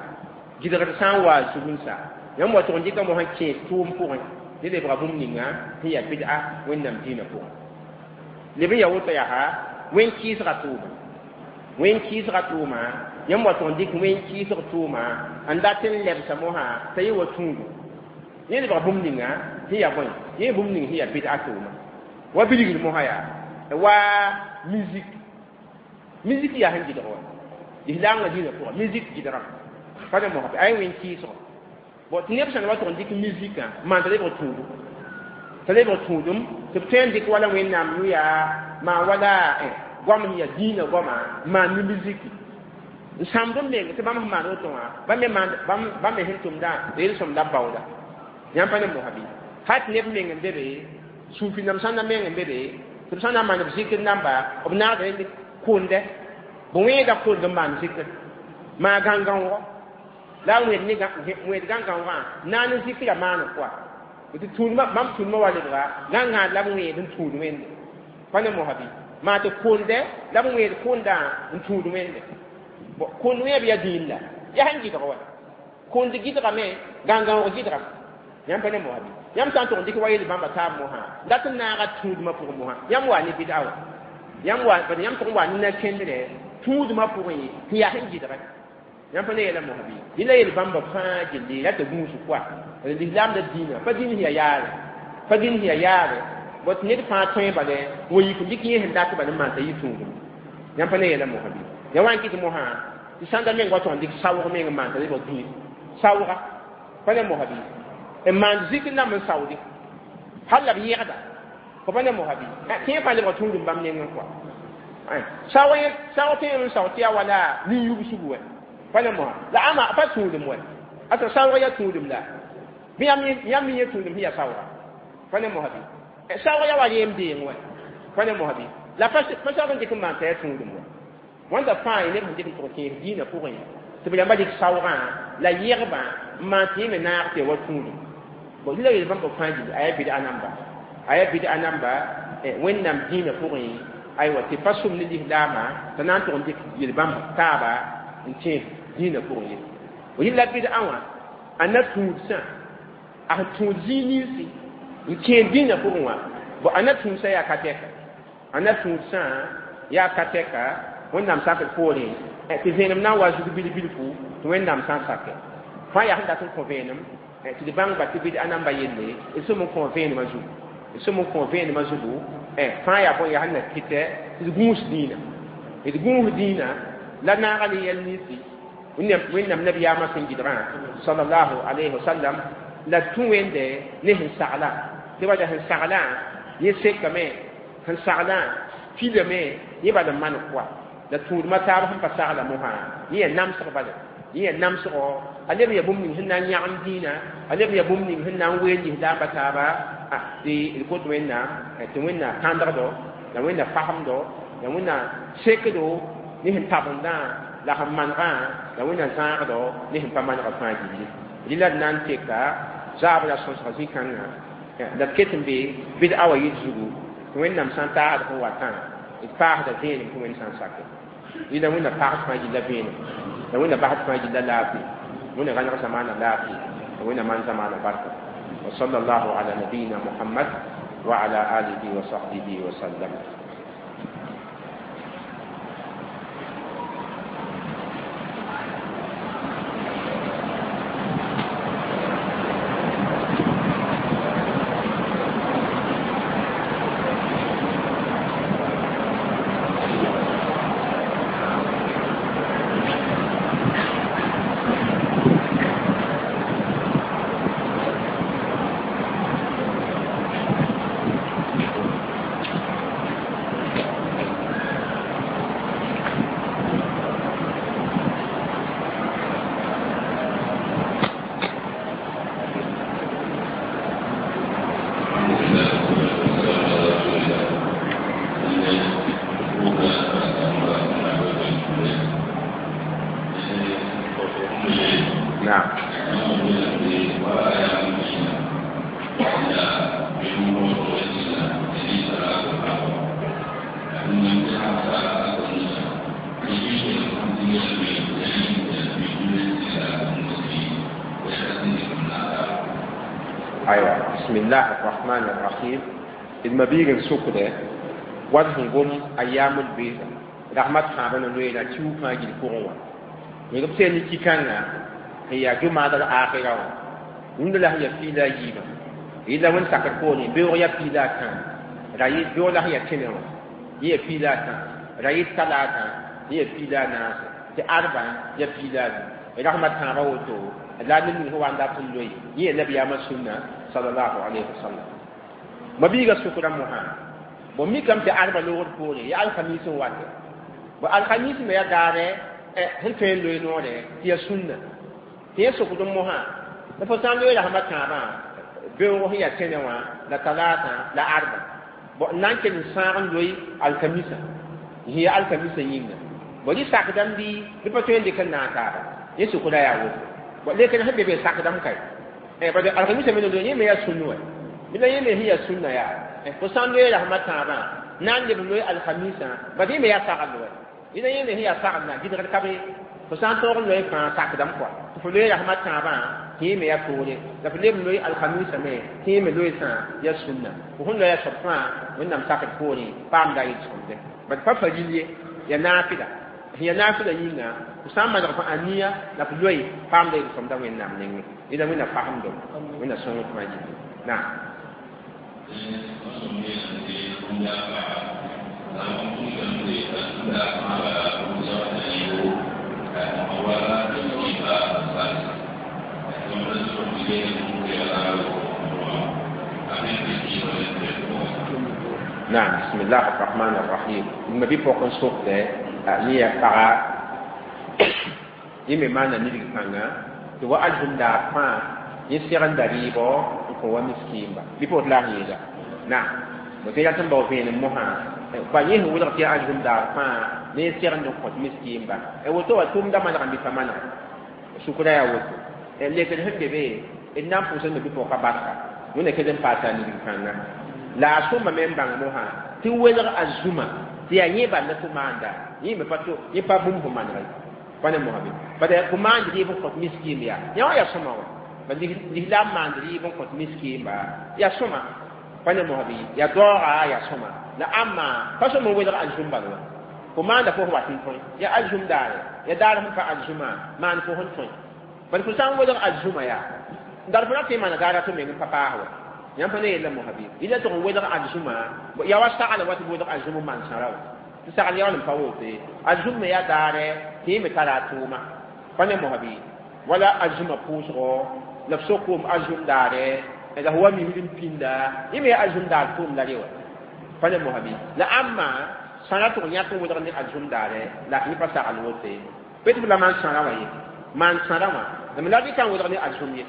gɩdgr sã n wa zug n sa yãmb wa tʋg n dɩka mosã kẽes tʋʋm pʋgẽ ne lebga bũmb ninga sẽn yaa bɩd'a wẽnnaam dĩinã pʋgẽ leb n yaa woto yaa wẽn-kɩɩsga tʋʋma wẽn-kɩɩsga tʋʋma yãmb wa tʋg n dɩk wẽn-kɩɩsg tʋʋma n dat n lebsa mosã t'a yẽ wa tũudu yẽ lebga bũmb ninga sẽn yaa bõe yẽ bũmb ning sẽn yaa bɩd'a tʋʋma wa bilgr mosã yaa wa musique musique yaa sẽn gɩdg wa lislaamgã dĩinã pʋgã musique gɩdgame pa ne mosã ay wẽn-kɩɩsgo bon tɩ neb sãn wa tʋg n dɩk musiquã maan t'a lebg tũudum t'a lebg tũudum tɩ b tõe n dɩk wala wẽnnaam yʋ yaa maan wala goam sẽn yaa dĩinã goama maan ne musiki n sãmd n meng tɩ bãmb sẽn maan woto wã bãmb me bãmb me sẽn tʋmdã yel-sõm la b baooda yãmb pa ne mosã bɩ hal tɩ neb meng n be be suufi nam sã n na meng n be be tɩ b sã n na n maan b zikr namba b naagda kʋndɛ b wẽeda kʋnd n maan zikr maa gãn-gãoogo la a wẽed ne wẽed gãn-gãoogã naan n zikra maan kɔa tɩ tũudmã bãmb tũudmã wa lebga gãn-gãad la b wẽed n tũud wẽnde pa ne mosã bɩ maa tɩ kʋndɛ la b wẽed kʋndã n tũud wẽnde kʋnd wẽeb yaa dĩin la yaa sẽn gɩdg wa kʋnd gɩdgame gãn-gãoog gɩdgame yãmb pa ne mosã bɩ yãmb sã n tʋg n dɩk wa yel bãmba taab mosã dat n naaga tũudmã pʋgẽ mosã yãmb wa ne bɩd'a wa yãmb wa yãmb tʋg n wa ne na-kẽndrɛ tũudmã pʋgẽ tɩ yaa sẽn gɩdgɛ yãmb pa ne yɛla mosã bɩ yẽla yel bãmba fãa gilli la tɩ gũus koa lislaamda dĩinã pa dĩin sẽn yaa yaare pa dĩin sẽn yaa yaare bot ned fãa tõe bale wa yik n dɩk yẽ sẽn dat bal n maan t'a yɩ tũudum yãmb pa ne yɛla mosã bɩ ya wa n kɩt mosã tɩ sãnda meng wa tʋg n dɩk saoog meng n maan t'a lebg dĩin saooga pa ne mosã bɩ n maan zikr namb n saoode hal la b yẽgda fo pa ne mosã bɩ kẽer fãa lebg tũudum bãmb nengẽ kɔa saoog saoog tõe n sao tɩ yaa wala nin-yubsgu wɛ pa ne mosã la ãma pa tũudum wɛ asa saoog yaa tũudum la bɩ yãmb yẽ tũudum sẽn yaa saooga pa ne mosã bɩ saoog yaa wa yem deeng wɛ pa ne mosã bɩ la pa saoog n dɩk n maan t'a yaa tũudum wɛ wãnda fãa ye neb sẽn dɩk n tʋg kẽes dĩinã pʋgẽ tɩ b yãmba dɩk saoogã la yẽgbã n maan tɩ yẽ me naag tɩ ya wa tũudum bon la yel bãmb fãa gilli a yaa bɩd'a namba a yaa bɩd'a namba wẽnnaam dĩinã pʋgẽ aywa tɩ pa sʋm ne lislaamã t'a na n tʋg n dɩk yel-bãmb taaba n tẽes dĩinã pʋgẽ ye yella bɩd'a wã a na tũudsã a sẽn tũud zĩig ninsi n kẽer dĩinã pʋgẽ wã bon a na tũudsã yaa ka tɛka a na tũudsã yaa ka tɛka wẽnnaam sakr poorẽ tɩ vẽenem na n wa zug bil-bilfu tɩ wẽnnaam sã n sakɛ fãa yaa sẽn dat n kõ vẽenem tɩ d bãng ba tɩ bɩd'a namba yelle d sẽm n kõ vẽenemã zugu d sẽm n kõ vẽenemã zugu fãa yaa bõe yaa sẽn na kɩtɛ tɩ d gũus dĩinã d gũus dĩinã la naaga ne yɛl ninsi wẽnnaam nabiyaamã sẽn gɩdgã sallallahu alayhi wa sallam la tũ wẽnde ne sẽn sagla tɩ bala sẽn saglã yẽ sekame sẽn saglã pilame yẽ bala n maan koa la tũudmã taab sẽn pa sagla mosã yẽ yaa namsg bala yẽ yaa namsgo a leb yaa bũmb ning sẽn na n yãgem dĩinã a leb yaa bũmb ning sẽn na n weel lislaambã taaba tɩ d kot wẽnnaam tɩ wẽnna kãndgdo la wẽnna fasemdo la wẽnna sekdo ne sẽn tabendã la sẽn manegã la wẽnna zãagdo ne sẽn pa manegã fãa gilli rɩla d na n teka zaabra sõsga zĩ-kãngã la d ket n be bɩd'a wa yɩl zugu tɩ wẽnnaam sã n taasd sẽn watã d paasda vẽenem tɩ wẽnd sã n sake rɩla wẽnna paasd fãa gilla vẽenem la wẽnna basd fãa gilla laafɩ wẽnna rãneg zamaana laafɩ la wẽnna maan zamaana barka wa sallallahu ala nabiyina muhammad wa ala alihi wa sahbihi wa sallam. Aywa, bismillah arrahman arrahim. D mabiig n sokdɛ wat sẽn gom ayamul bɩɩsa rahmat sãabã na loeera kiu fãa gil pʋgẽ wã b sẽn ne ki-kãngã sẽn yaa jumaada l-akhira wã rũndã la sẽn yaa piila a yiibã yella wẽnd sakr poorẽ beoog yaa piila a tã ra yɩ beoog la sẽn yaa tẽnẽ wã yẽ yaa piila a tã ra yɩ talaata yẽ yaa piila a naase tɩ arba yaa piila a nu rahmat tãabã woto la ned ning sẽn wa n dat n loe yẽ yaa nabiyaamã sũnna sallallahu alayhi wa sallam. Mabiiga sʋkra mosã bõ mikame tɩ arba loogd poore yaa alkamis n wate bõ alkamis me yaa daare sẽn tõe n loe noore tɩ yaa sũnna tɩ yẽ sokd mosã la fo sã n loe rasmã tãabã beoog sẽn yaa tẽnẽ wã la talaata la arba bõ n na n kell n sãag n loe alkamisã sẽn yaa alkamisã yĩnga bõ rɩ sakdame bɩ bɩ pa tõe n dɩk n naag taaba yẽ sʋkra yaa woto bõ lekr sẽn be be sakdame kae bad alkamisã me yẽ me yaa sũnn wa bɩ la yẽ me sẽn yaa sũnna yaa fo sã n loe rasmã tãabã na n leb n loe alkamisã bad yẽ me yaa sagl wa yẽla yẽ me sẽn yaa saglna gɩdgd ka be fo sã n tõog n loe fãa sakdame kɔa tɩ fo loe rasmã tãabã tɩ yẽ me yaa toore la fo leb n loe alkamisã me tɩ yẽ me loe-sã yaa sũnna fo sẽn loe a soab fãa Wẽnnaam sakd poorẽ paamda a yel-sõmde bad pa fa ril ye yaa naafɩla sẽn yaa naafɩla yĩnga fo sã n maneg fo aniya la fo loe paamda yel-sõmda Wẽnnaam nengẽ yẽla Wẽnna fasemdem Wẽnna sõng tɩ ma yɩ naam. نعم، بسم الله الرحمن الرحيم. ما بي بوكن سوق ده ني paga yẽ me maana nidg kãnga tɩ wa alzum daar fãa yẽ segenda rɩɩbɔ n kõ wa miskiimba bɩ pa woto la a yeela naam bõ tɩ rat n bao vẽenem mosã pa yẽ sẽn wʋlg tɩ yaa alzum daar fãa ne yẽ segend n kõt miskiimba woto wa tʋʋmda manegame bɩ pa maneg sʋkra yaa woto lekd sẽn be be d na n pʋʋsd me bɩ pʋgka barka wẽnna kell n paasa a nidg kãnga la a sõma me n bãng mosã tɩ welg a zũma tɩ yaa yẽ bal la tɩ maanda yẽ me pa yẽ pa bũmb fo maneg pa ne mosã be bad fo maand rɩɩb n kõt miskiim yaa yã wã yaa sõma wã ba lislaam maand rɩɩb n kõt miskiimba yaa sõma pa ne mosã bɩ yaa daooga yaa sõma la ãmma pa sõm n welg alzum bal wã fo maanda fo wat n tõe yaa alzum daare yaa daar sẽn pa alzumã maan fo sẽn tõe bad fo sã n welg alzumã yaa dar fo ra tɩ n maana daara tɩ meng n pa paas wa yãmb pa ne yella mosã bɩ yẽla tɩg n welg alzumã yaa wa sagl wa tɩ welg alzum n maan sãra wa tɩ sagl yaool n pa wote alzum me yaa daare tɩ yẽ me tara a tʋʋma pa ne mosã bɩ wala alzumã pʋʋsgɔ la f sokoom alzum daare la f wa misd n pĩnda yẽ me yaa alzum daar tʋʋm la re wa pa ne mosã bɩ la ãmma sãra tʋg yãk n welg ne alzum daare la yẽ pa sagl wote pe tɩ f la maan sãra wã ye maan sãra wã la rɩka n welg ne alzum ye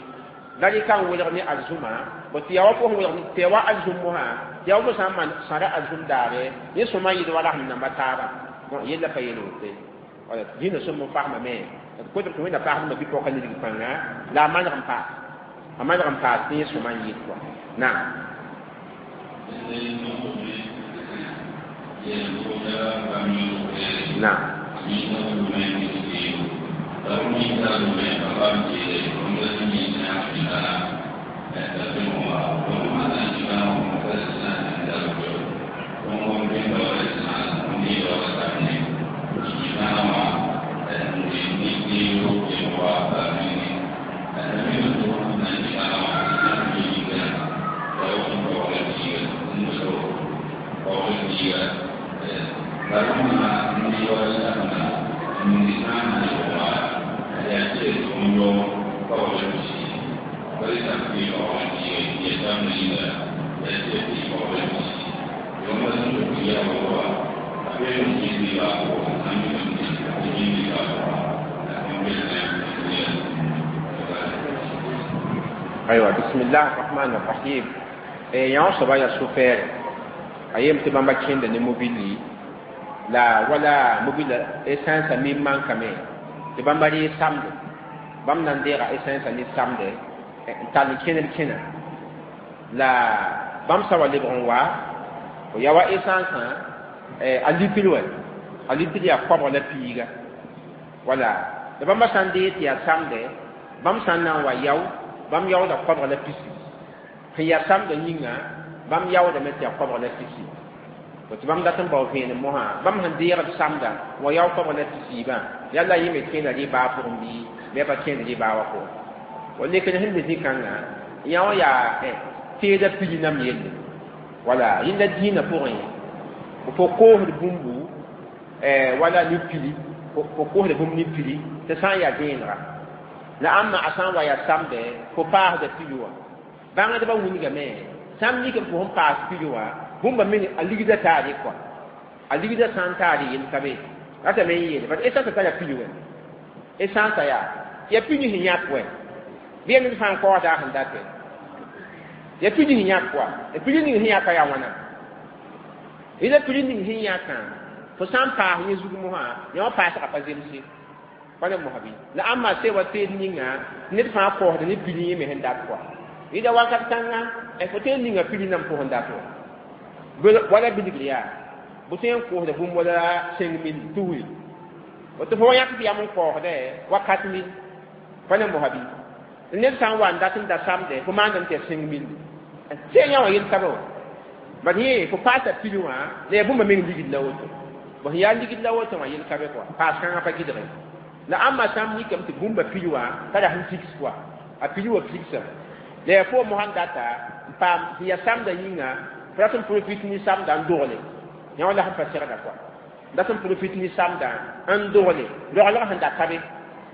la rɩka n welg ne alzumã bõ tɩ yaa wa fo sẽn welg tɩ yaa wa alzum mosã tɩ yaa wa fo sã n maan sãra alzum daare yẽ sõma yɩd wa rasem namba taaba yella pa yel wote wala dĩnã sõm n fasmame d kotb tɩ Wẽnna paasdmã bɩ pɔka nidg pãnga la a maneg n paas a maneg n paas tɩ yẽ sõma n yɩd kɔa naam. Naam. أيوة، بسم الله الرحمن الرحيم. يا صبا يا سوفير أيام تبان بكين دني موبيلي لا ولا موبيل إسانس ميم مان كمي تبان بري سامد بام نندير إسانس ني سامد تاني كين كين لا بام سوا لبرون وا ويا وا إسانس أليتلو أليتلو يا كوبر لا بيغا ولا بام ساندي تيا سامد بام سانا وا ياو bãmb yaooda koabg la pisi Sẽn yaa samdã yĩnga bãmb yaoodame tɩ yaa koabg la tɩ-sii tɩ bãmb dat n bao vẽenem mosã bãmb sẽn deegd samda wa yao koabg la tɩ-siibã yalla yẽ me kẽenda rɩ-baa pʋgẽ bɩ bɩ pa kẽend rɩ-baa wã pʋgẽ wa lekr sẽn be zĩ-kãngã yã wã yaa teeda pili nam yelle wala yẽnda dĩinã pʋgẽ fo koosd bũmbu wala ne pili fo koosda bũmb ne pili tɩ sã n yaa vẽenega la ãmba a sã n wa yaa samdɛ fo paasda pili wã bãngdbã wilgame sãmb mikame fo sẽn paas pili wã bũmba meng a ligda taare kɔa a ligda sã n taare yel ka be ratame n yeele bat essence tara pili wɛ essence yaa ya pili sẽn yãk wɛ bɩ ya ned fãa n kaoosda a sẽn datɛ ya pili sẽn yãk wa ya pili ning sẽn yãka yaa wãna yẽla pili ning sẽn yãkã fo sã n paas yẽ zug mosã yã wã paasga pa zemse pa ne mosã bɩ la ãmba se wa teed ninga ned fãa kaoosda ne pili yẽ me sẽn dat kɔa yẽda wakat kãnga fo tõe n ninga pili nam fo sẽn dat wa wala bilgr yaa bʋ tõe n koosda bũmb wala cinq mille tusri tɩ fo wa yãk tɩ yam n kaoosdɛ wa quatre mille pa ne mosã bɩ ned sã n wa n dat n da samdɛ fo maandame tɩ yaa cinq mille tɩ yã wã yel ka be wa bad yẽ fo paasa pili wã la yaa bũmba meng ligd la woto bõ sẽn yaa ligd la woto wã yel ka be kɔa paas kãngã pa gɩdge la ãmba sãmb mikame tɩ bũmba pili wã tara sẽn figs kɔa a pili wã figsame la yaa fo mosã n data n paam sẽn yaa samdã yĩnga fo rat n profit ne samdã n dogle yã wã la sẽn pa segda kɔa dat n profit ne samdã n dogle roglg sẽn da ka be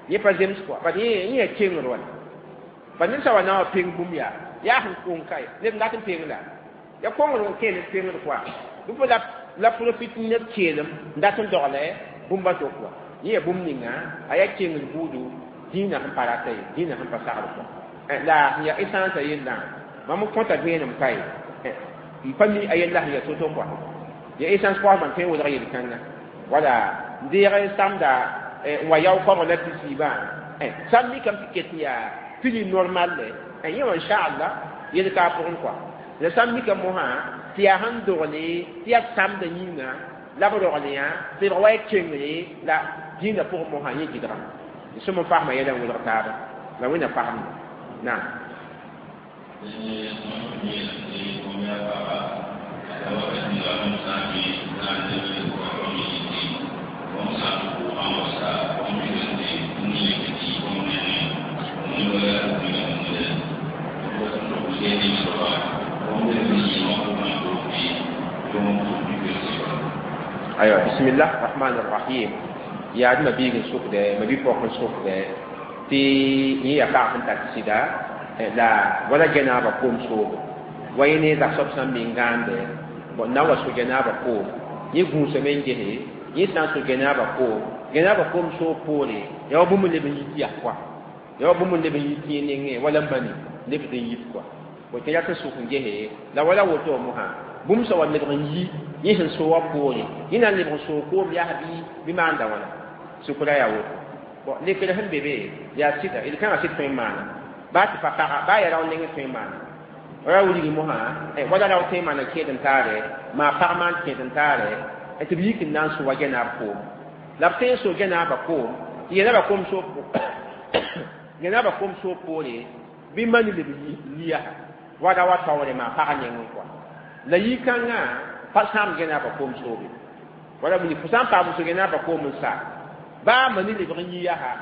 yẽ pa zems kɔa bad yẽ yẽ yaa kengr wala bad ned sã wa na wa peng bũmb yaa yaa sẽn kong kae ned n dat n peng la ya kongr n kee ned pengd kɔa bɩ fo la profit ned keelem n dat n dogle bũmba to kɔa yẽ yaa bũmb ninga a yaa kengr buudu dĩinã sẽn pa rata ye dĩinã sẽn pa sagr kɔa la sẽn yaa essence yellã mam n kõta vẽenem kae n pa mi a yella sẽn yaa to-to kɔa ya essence koasmã tõe n welg yel-kãnga wala n deeg samda n wa yao koabg la tɩ-siibã sãmb mikame tɩ ket n yaa pili normal le yẽ wã inchallah yel ka a pʋgẽ kɔa la sãmb mikame mosã tɩ yaa sẽn dogle tɩ yaa samdã yĩnga la b rogl yã tɩ b wa ya kengre la dĩinã pʋgẽ mosã yẽ gɩdgame sõm n fasma yɛla n welg taaba la wẽnna fasmda naam أيوة بسم الله الرحمن الرحيم يا ما بيجن سوق ده ما بيفوق سوق ده تي هي قاعدة تاكسيدا لا ولا جنابة قوم سوق وين إذا سب سام بينغان ده بنا وسو جنابة قوم يقوم سمين جه يسان سو جنابة قوم جنابة قوم سو بولي يا أبو من لبن يتي أقوى يا أبو من لبن يتي نينه ولا بني لبن يتقوى وكذا تسوق جه لا ولا وتو مها bũmb sã wa lebg n yi yẽ sẽn so wã poore yẽ na n lebg n soog koom yaa bɩ bɩ maanda wãna sukra yaa woto bon lekr sẽn be be yaa sɩda d kãngã sɩd tõe n maana baa tɩ pa paga baa yaa rao nengẽ tõe n maana ra wilgi mosã wala rao tõe n maana kẽed n taare maa pag maan kẽed n taare tɩ b yik n na n so wa gɛnaab koom la b tõe n so gɛnaabã koom tɩ gɛnaabã koom soog gɛnaabã koom soog poore bɩ mani leb liya wada wa taoore maa pag nengẽ kɔa la yi-kãngã pa sãam gɛnaabã koom soobe wala wilg fo sã n paam so gɛnaabã koom n sa baa mani lebg n yi yaa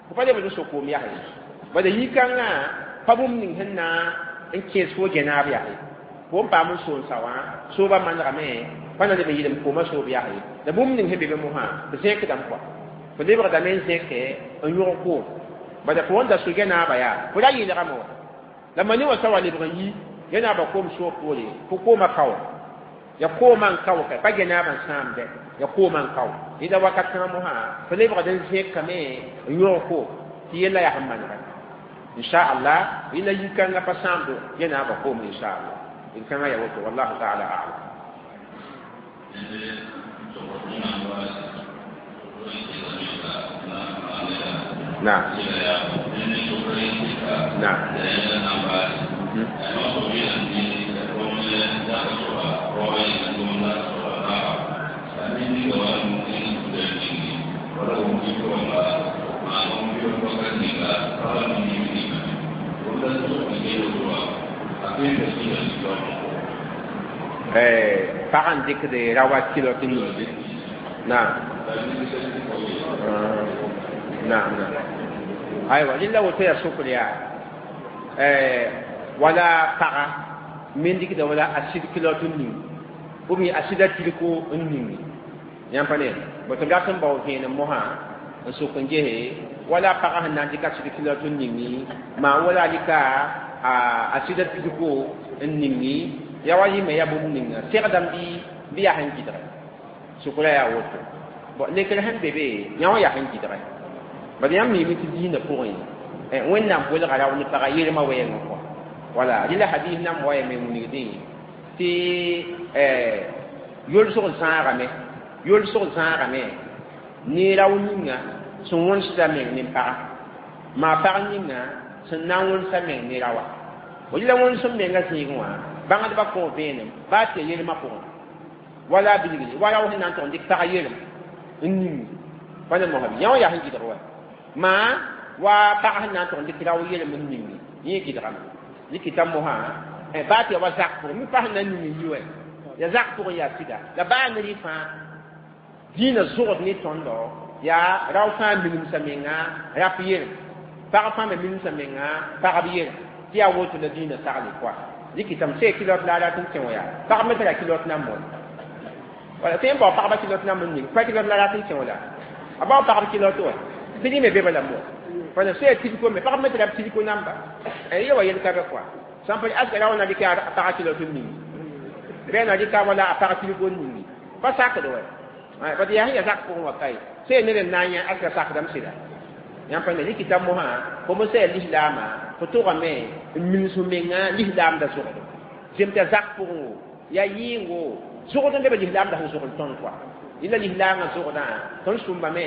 fo pa lebd n so koom yaa ye bala yi-kãngã pa bũmb ning sẽn na n kẽes fo gɛnaab yaa ye fo n paam n so n sa wã soobã manegame pa na leb n yɩlem koomã soob yaa ye la bũmb ning sẽn be be mosã b zẽkdame kɔa fo lebgdame n zẽke n yõg koom bala fo wẽn da so gɛnaabã yaa fo ra yɩlgame wa la mani wã sa wa lebg n yi gɛnaabã koom soog poore fo koomã kao ya koomã n kao ka pa gɛnaabã n sãamdɛ ya koomã n kao yẽda wakat kãngã mosã fo lebgd n zẽkame n yõg koom tɩ yella yaa sẽn manega inchallah yẽla yi-kãngã pa sãamdo gɛnaabã koom inchallah yel-kãngã yaa woto wallahu taala alam نعم نعم Pag n dɩkd rawa kilot n ning naam naam naam aywa rɩla woto yaa sokr yaa wala paga me n dɩkda wala a sɩd kilot n ning ou bien a sɩda tilko n ningi yãmb pa ne bõ tɩ b rat n bao vẽenem mosã n sok n gese wala paga sẽn na n dɩk a sɩd kilot n ningi maa wala rɩka a sɩda tilko n ningi ya wa yɩme ya bũmb ninga segdame bɩ bɩ yaa sẽn gɩdge sʋkra yaa woto bon lekr sẽn be be yã wã yaa sẽn gɩdge bad yãmb miime tɩ diinã pʋgẽ wẽnnaam bolga rao ne paga yelmã wɛɛngẽ kɔ wala rɩla hadis nan wa yame wilgdẽ tɩ yolsg zãagame yolsg zãagame ne rao ninga sẽn wõnsda meng ne paga maa pag ninga sẽn na n wõnsa meng ne raoa rɩla wõnsem menga zĩigẽ wã bãngdbã kõ vẽenem baa tɩ ya yelmã pʋgẽ wala bilgre wa rao sẽn na n tʋg n dɩk pag yelem n ning pa ne mosã yã wã yaa sẽn gɩdg wa maa wa pag sẽn na n tʋg n dɩk rao yelem n ning yẽ gɩdgame dɩkɩta mosã baa tɩ ya wa zak pʋgẽ mi pa sẽn na n ning n yi wa ya zak pʋgẽ yaa sɩda la baa ne rɩ fãa dĩinã zʋgd ne tõndo yaa rao fãa minemsa menga rap yelem pag fãa me minemsa menga pagb yelem tɩ yaa woto la dĩinã sagle kɔa dɩkɩtame sẽn kilot la a rat n kẽ wã yaa pagb me tara kilot nan moon wala tɩ n bao pagba kilot nan n ning pa kilot la rat n kẽ wã la a bao pagb kilot wa tɩ rẽ me be bala mo wala sẽn tilko me pagb me tara tilko namba yẽ wa yel ka be kɔa sãn pa aska ra wã na dɩk a pag kilot n ning bɩ na dɩka wala a pag tilko n ningi pa sakd wa bad yaa sẽn yaa zak pʋgẽ wa kae sẽn ned n na n yã aska sakdame sɩda yãmb pa ne rɩkɩta mosã fo me sã lislaamã fo tʋgame n mins f menga lislaamda zogdo zem t'a zak pʋgẽ wo yaa yɩɩngo zogd n leb lislaamda sẽn zogl tõnd kɔa yẽla lislaamã zogdã tõnd sũmbame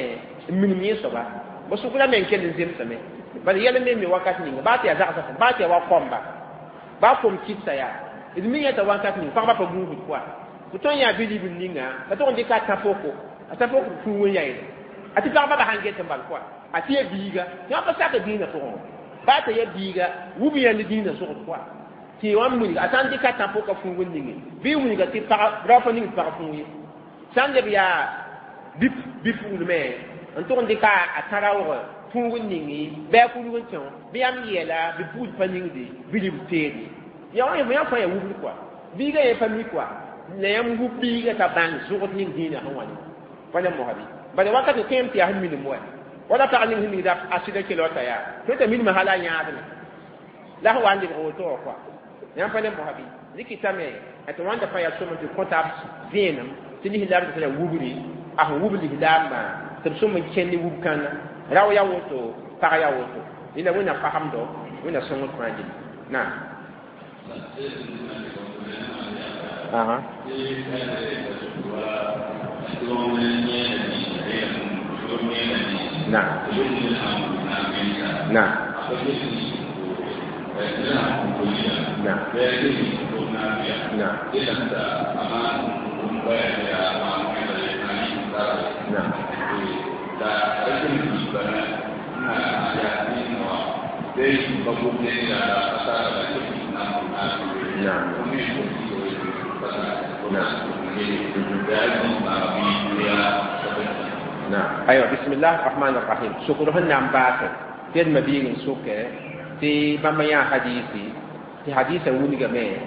n minim yẽ soaba bõ sʋkra meng kell n zemsame bala yɛl me me wakat ninga baa tɩ yaa zagsã baa tɩ yaa wa kõmba baa kom kɩtsa yaa d mi yãta wakat ning pagba pa gũusd kɔa fo tõnd yaa bi-ribl ninga la tʋg n dɩka a tã-poko a tã-pok fũu n yaeele a tɩ pagba ba sãn get n bal kɔa a tɩ ya biiga yã pa sak dĩinã pʋgẽ wã baa t'a ya biiga wub yãnd dĩinã zogd kɔa tɩ wã wilga a sã n dɩka tã-poka fũug n ninge bɩ wilga tɩ pag rao pa ning pag fũug ye sã n leb yaa bi-puglmẽ n tʋg n dɩka a tã-raoog fũug n ninge bɩ a kurg n kẽ bɩ yãmb yeela bɩ pugd pa ningde bɩ rib teede ya wã yã fãa yaa wubd kɔa biiga yẽ pa mi kɔa la yãmb wub biiga t'a bãng zogd ning dĩinã sẽn wa ne pa ne mosã bɩ bala wakat tõem tɩ yaa sẽn minim wa wala pag ning sẽn mingda a sɩda kelota yaa tõe t'a minimã hala a yãadme la sẽn wa n lebg woto wã kɔa yãmb pa ne mosã bɩ rɩkɩtame tɩ wãnda fãa yaa sõm tɩ kõta vẽenem tɩ lislaam tɩ wubri a sẽn wub lislaambã tɩ b sõm n kẽnd ne wub kãnga rao yaa woto pag yaa woto yẽla wẽnnaam fasemdo wẽnna sõngd fãa gilli naam aha نعم نعم نعم نعم نعم نعم نعم أيوة بسم الله الرحمن الرحيم شكرهن عن باكر تيد مبين سوكة تي بما حديثي تي حديثة ونيغا مي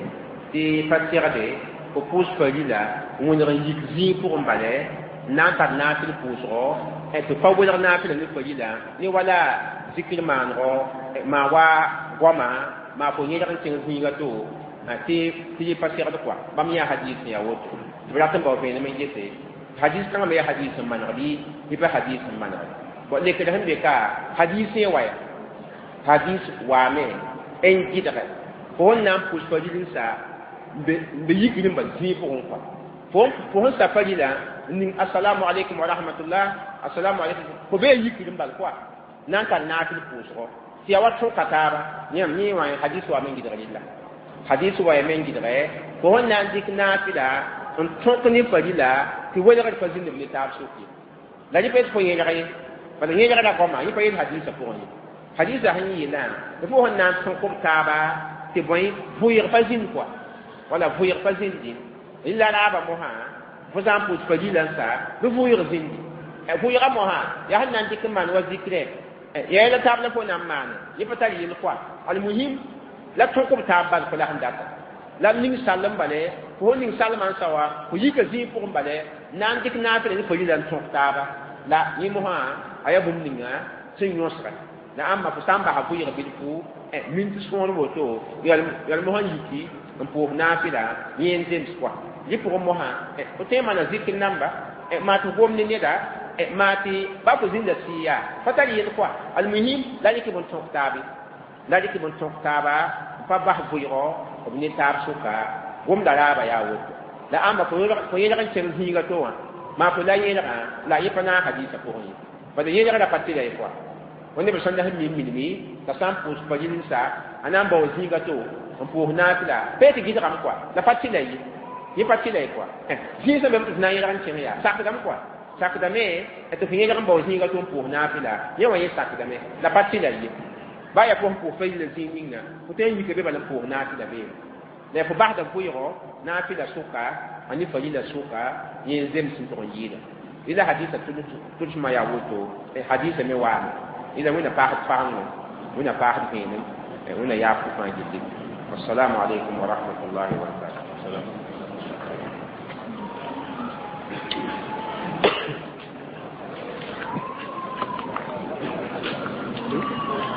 تي فاتيغ دي فو بوس فاليلا ونغ يك زي بوغ بالي نان تار نافل بوسغو tɩ pa welg naafɩla ne farila ne wala zikr maanegɔ maa wa goama maa fo yẽlg n kẽng zĩiga to tɩ tɩ yẽ pa segd kɔa bãmb yã hadis n yaa woto tɩ b rat n bao vẽenem n gese hadis kãngã me yaa hadis n maneg bɩ bɩ pa hadis n maneg bon lekr sẽn be ka hadis yẽ wa ya hadis waame n gɩdge fo sẽn na n pʋs faril n sa n be yikr n bal zĩig pʋgẽ kɔa fo sẽn sa farila n ning assalamu alaikum wa rahmatullah assalamu alaikum fo bee yikr n bal kɔa na n tar naafɩl pʋʋsgɔ tɩ yaa wa tõka taaba yãmb yẽ wã hadis wa me n gɩdg rɩlla hadis wa ya me n gɩdge fo sẽn na n dɩk naafɩla n tõk ne farila tɩ welgd pa zĩnd b ne taab sʋk ye la rɩ pa yet fo yẽlg ye bala yẽlgda goama yẽ pa yel hadisã pʋgẽ ye hadisã sẽn yeelã tɩ fo sẽn na n tõk b taaba tɩ bõe vʋɩɩg pa zĩnd kɔa wala vʋɩɩg pa zĩndi la raaba mosã fo sã n pʋʋs pa lila n sa bɩ vʋɩɩg zĩndi vʋɩɩgã mosã yaa sẽn na n dɩk n maan wa zikrɛ yaa la taab la fo na n maane yẽ pa tar yel kɔa almuhim la tõk b taab bal fo la sẽn data la ning sall n bale fo ning salmã n sa wa fo yika zĩig pʋgẽ bale na n dɩk naafɩla ne fo lila n tõk taaba la yẽ mosã a yaa bũmb ninga sẽn yõsga la ãmba fo sã n basa vʋɩɩg bilfu mint sõor woto yal mosã yiki n pʋʋs naafɩla yẽ n zems kɔa yẽ pʋgẽ mosã fo tõe n maana zikr namba maa tɩ gom ne neda maa tɩ ba fo zĩnda sɩɩ yaa fa tar yel kɔa almuhim la rɩk b n tõk taabe la rɩk b n tõk taaba n pa bas vʋɩgɔ b ne taab sʋka gomda raaba yaa woto la ãmba fo yẽlg n kẽng zĩiga to wã maa fo la yẽlgã la yẽ pa naag hadiisã pʋgẽ ye bala yẽlgrã pa tɩla ye kɔa wẽnd b sẽn la sẽn mim minimi t'a sã n pʋʋs pa yel-n-sa a na n bao zĩiga to n pʋʋs naafɩla pee tɩ gɩdgame kɔa la pa tɩla ye yẽ pa tɩla ye kɔa zĩig sẽn be tɩ f na n yẽlg n kẽng yaa sakdame kɔa sakdame tɩ f yẽlg n bao zĩiga to n pʋʋs naafɩla yẽ wã yẽ sakdame la pa tɩla ye ba yaa fo sẽn pʋʋs fa yila zĩig ninga fo tõe n yika be bala n pʋʋs naafɩla beene la fo basda vʋɩgɔ naafɩla sʋka a ne fa yila sʋka yẽ n zems n tʋg n yɩɩda ila hadisa tʋlsmã yaa woto hadisa me waame ila wẽnna paasd fagengo wẽnna paasd vẽenem wẽnna yaaf fãa gilli wassalamu alaikum wa rahmatullahi wa barakatuh.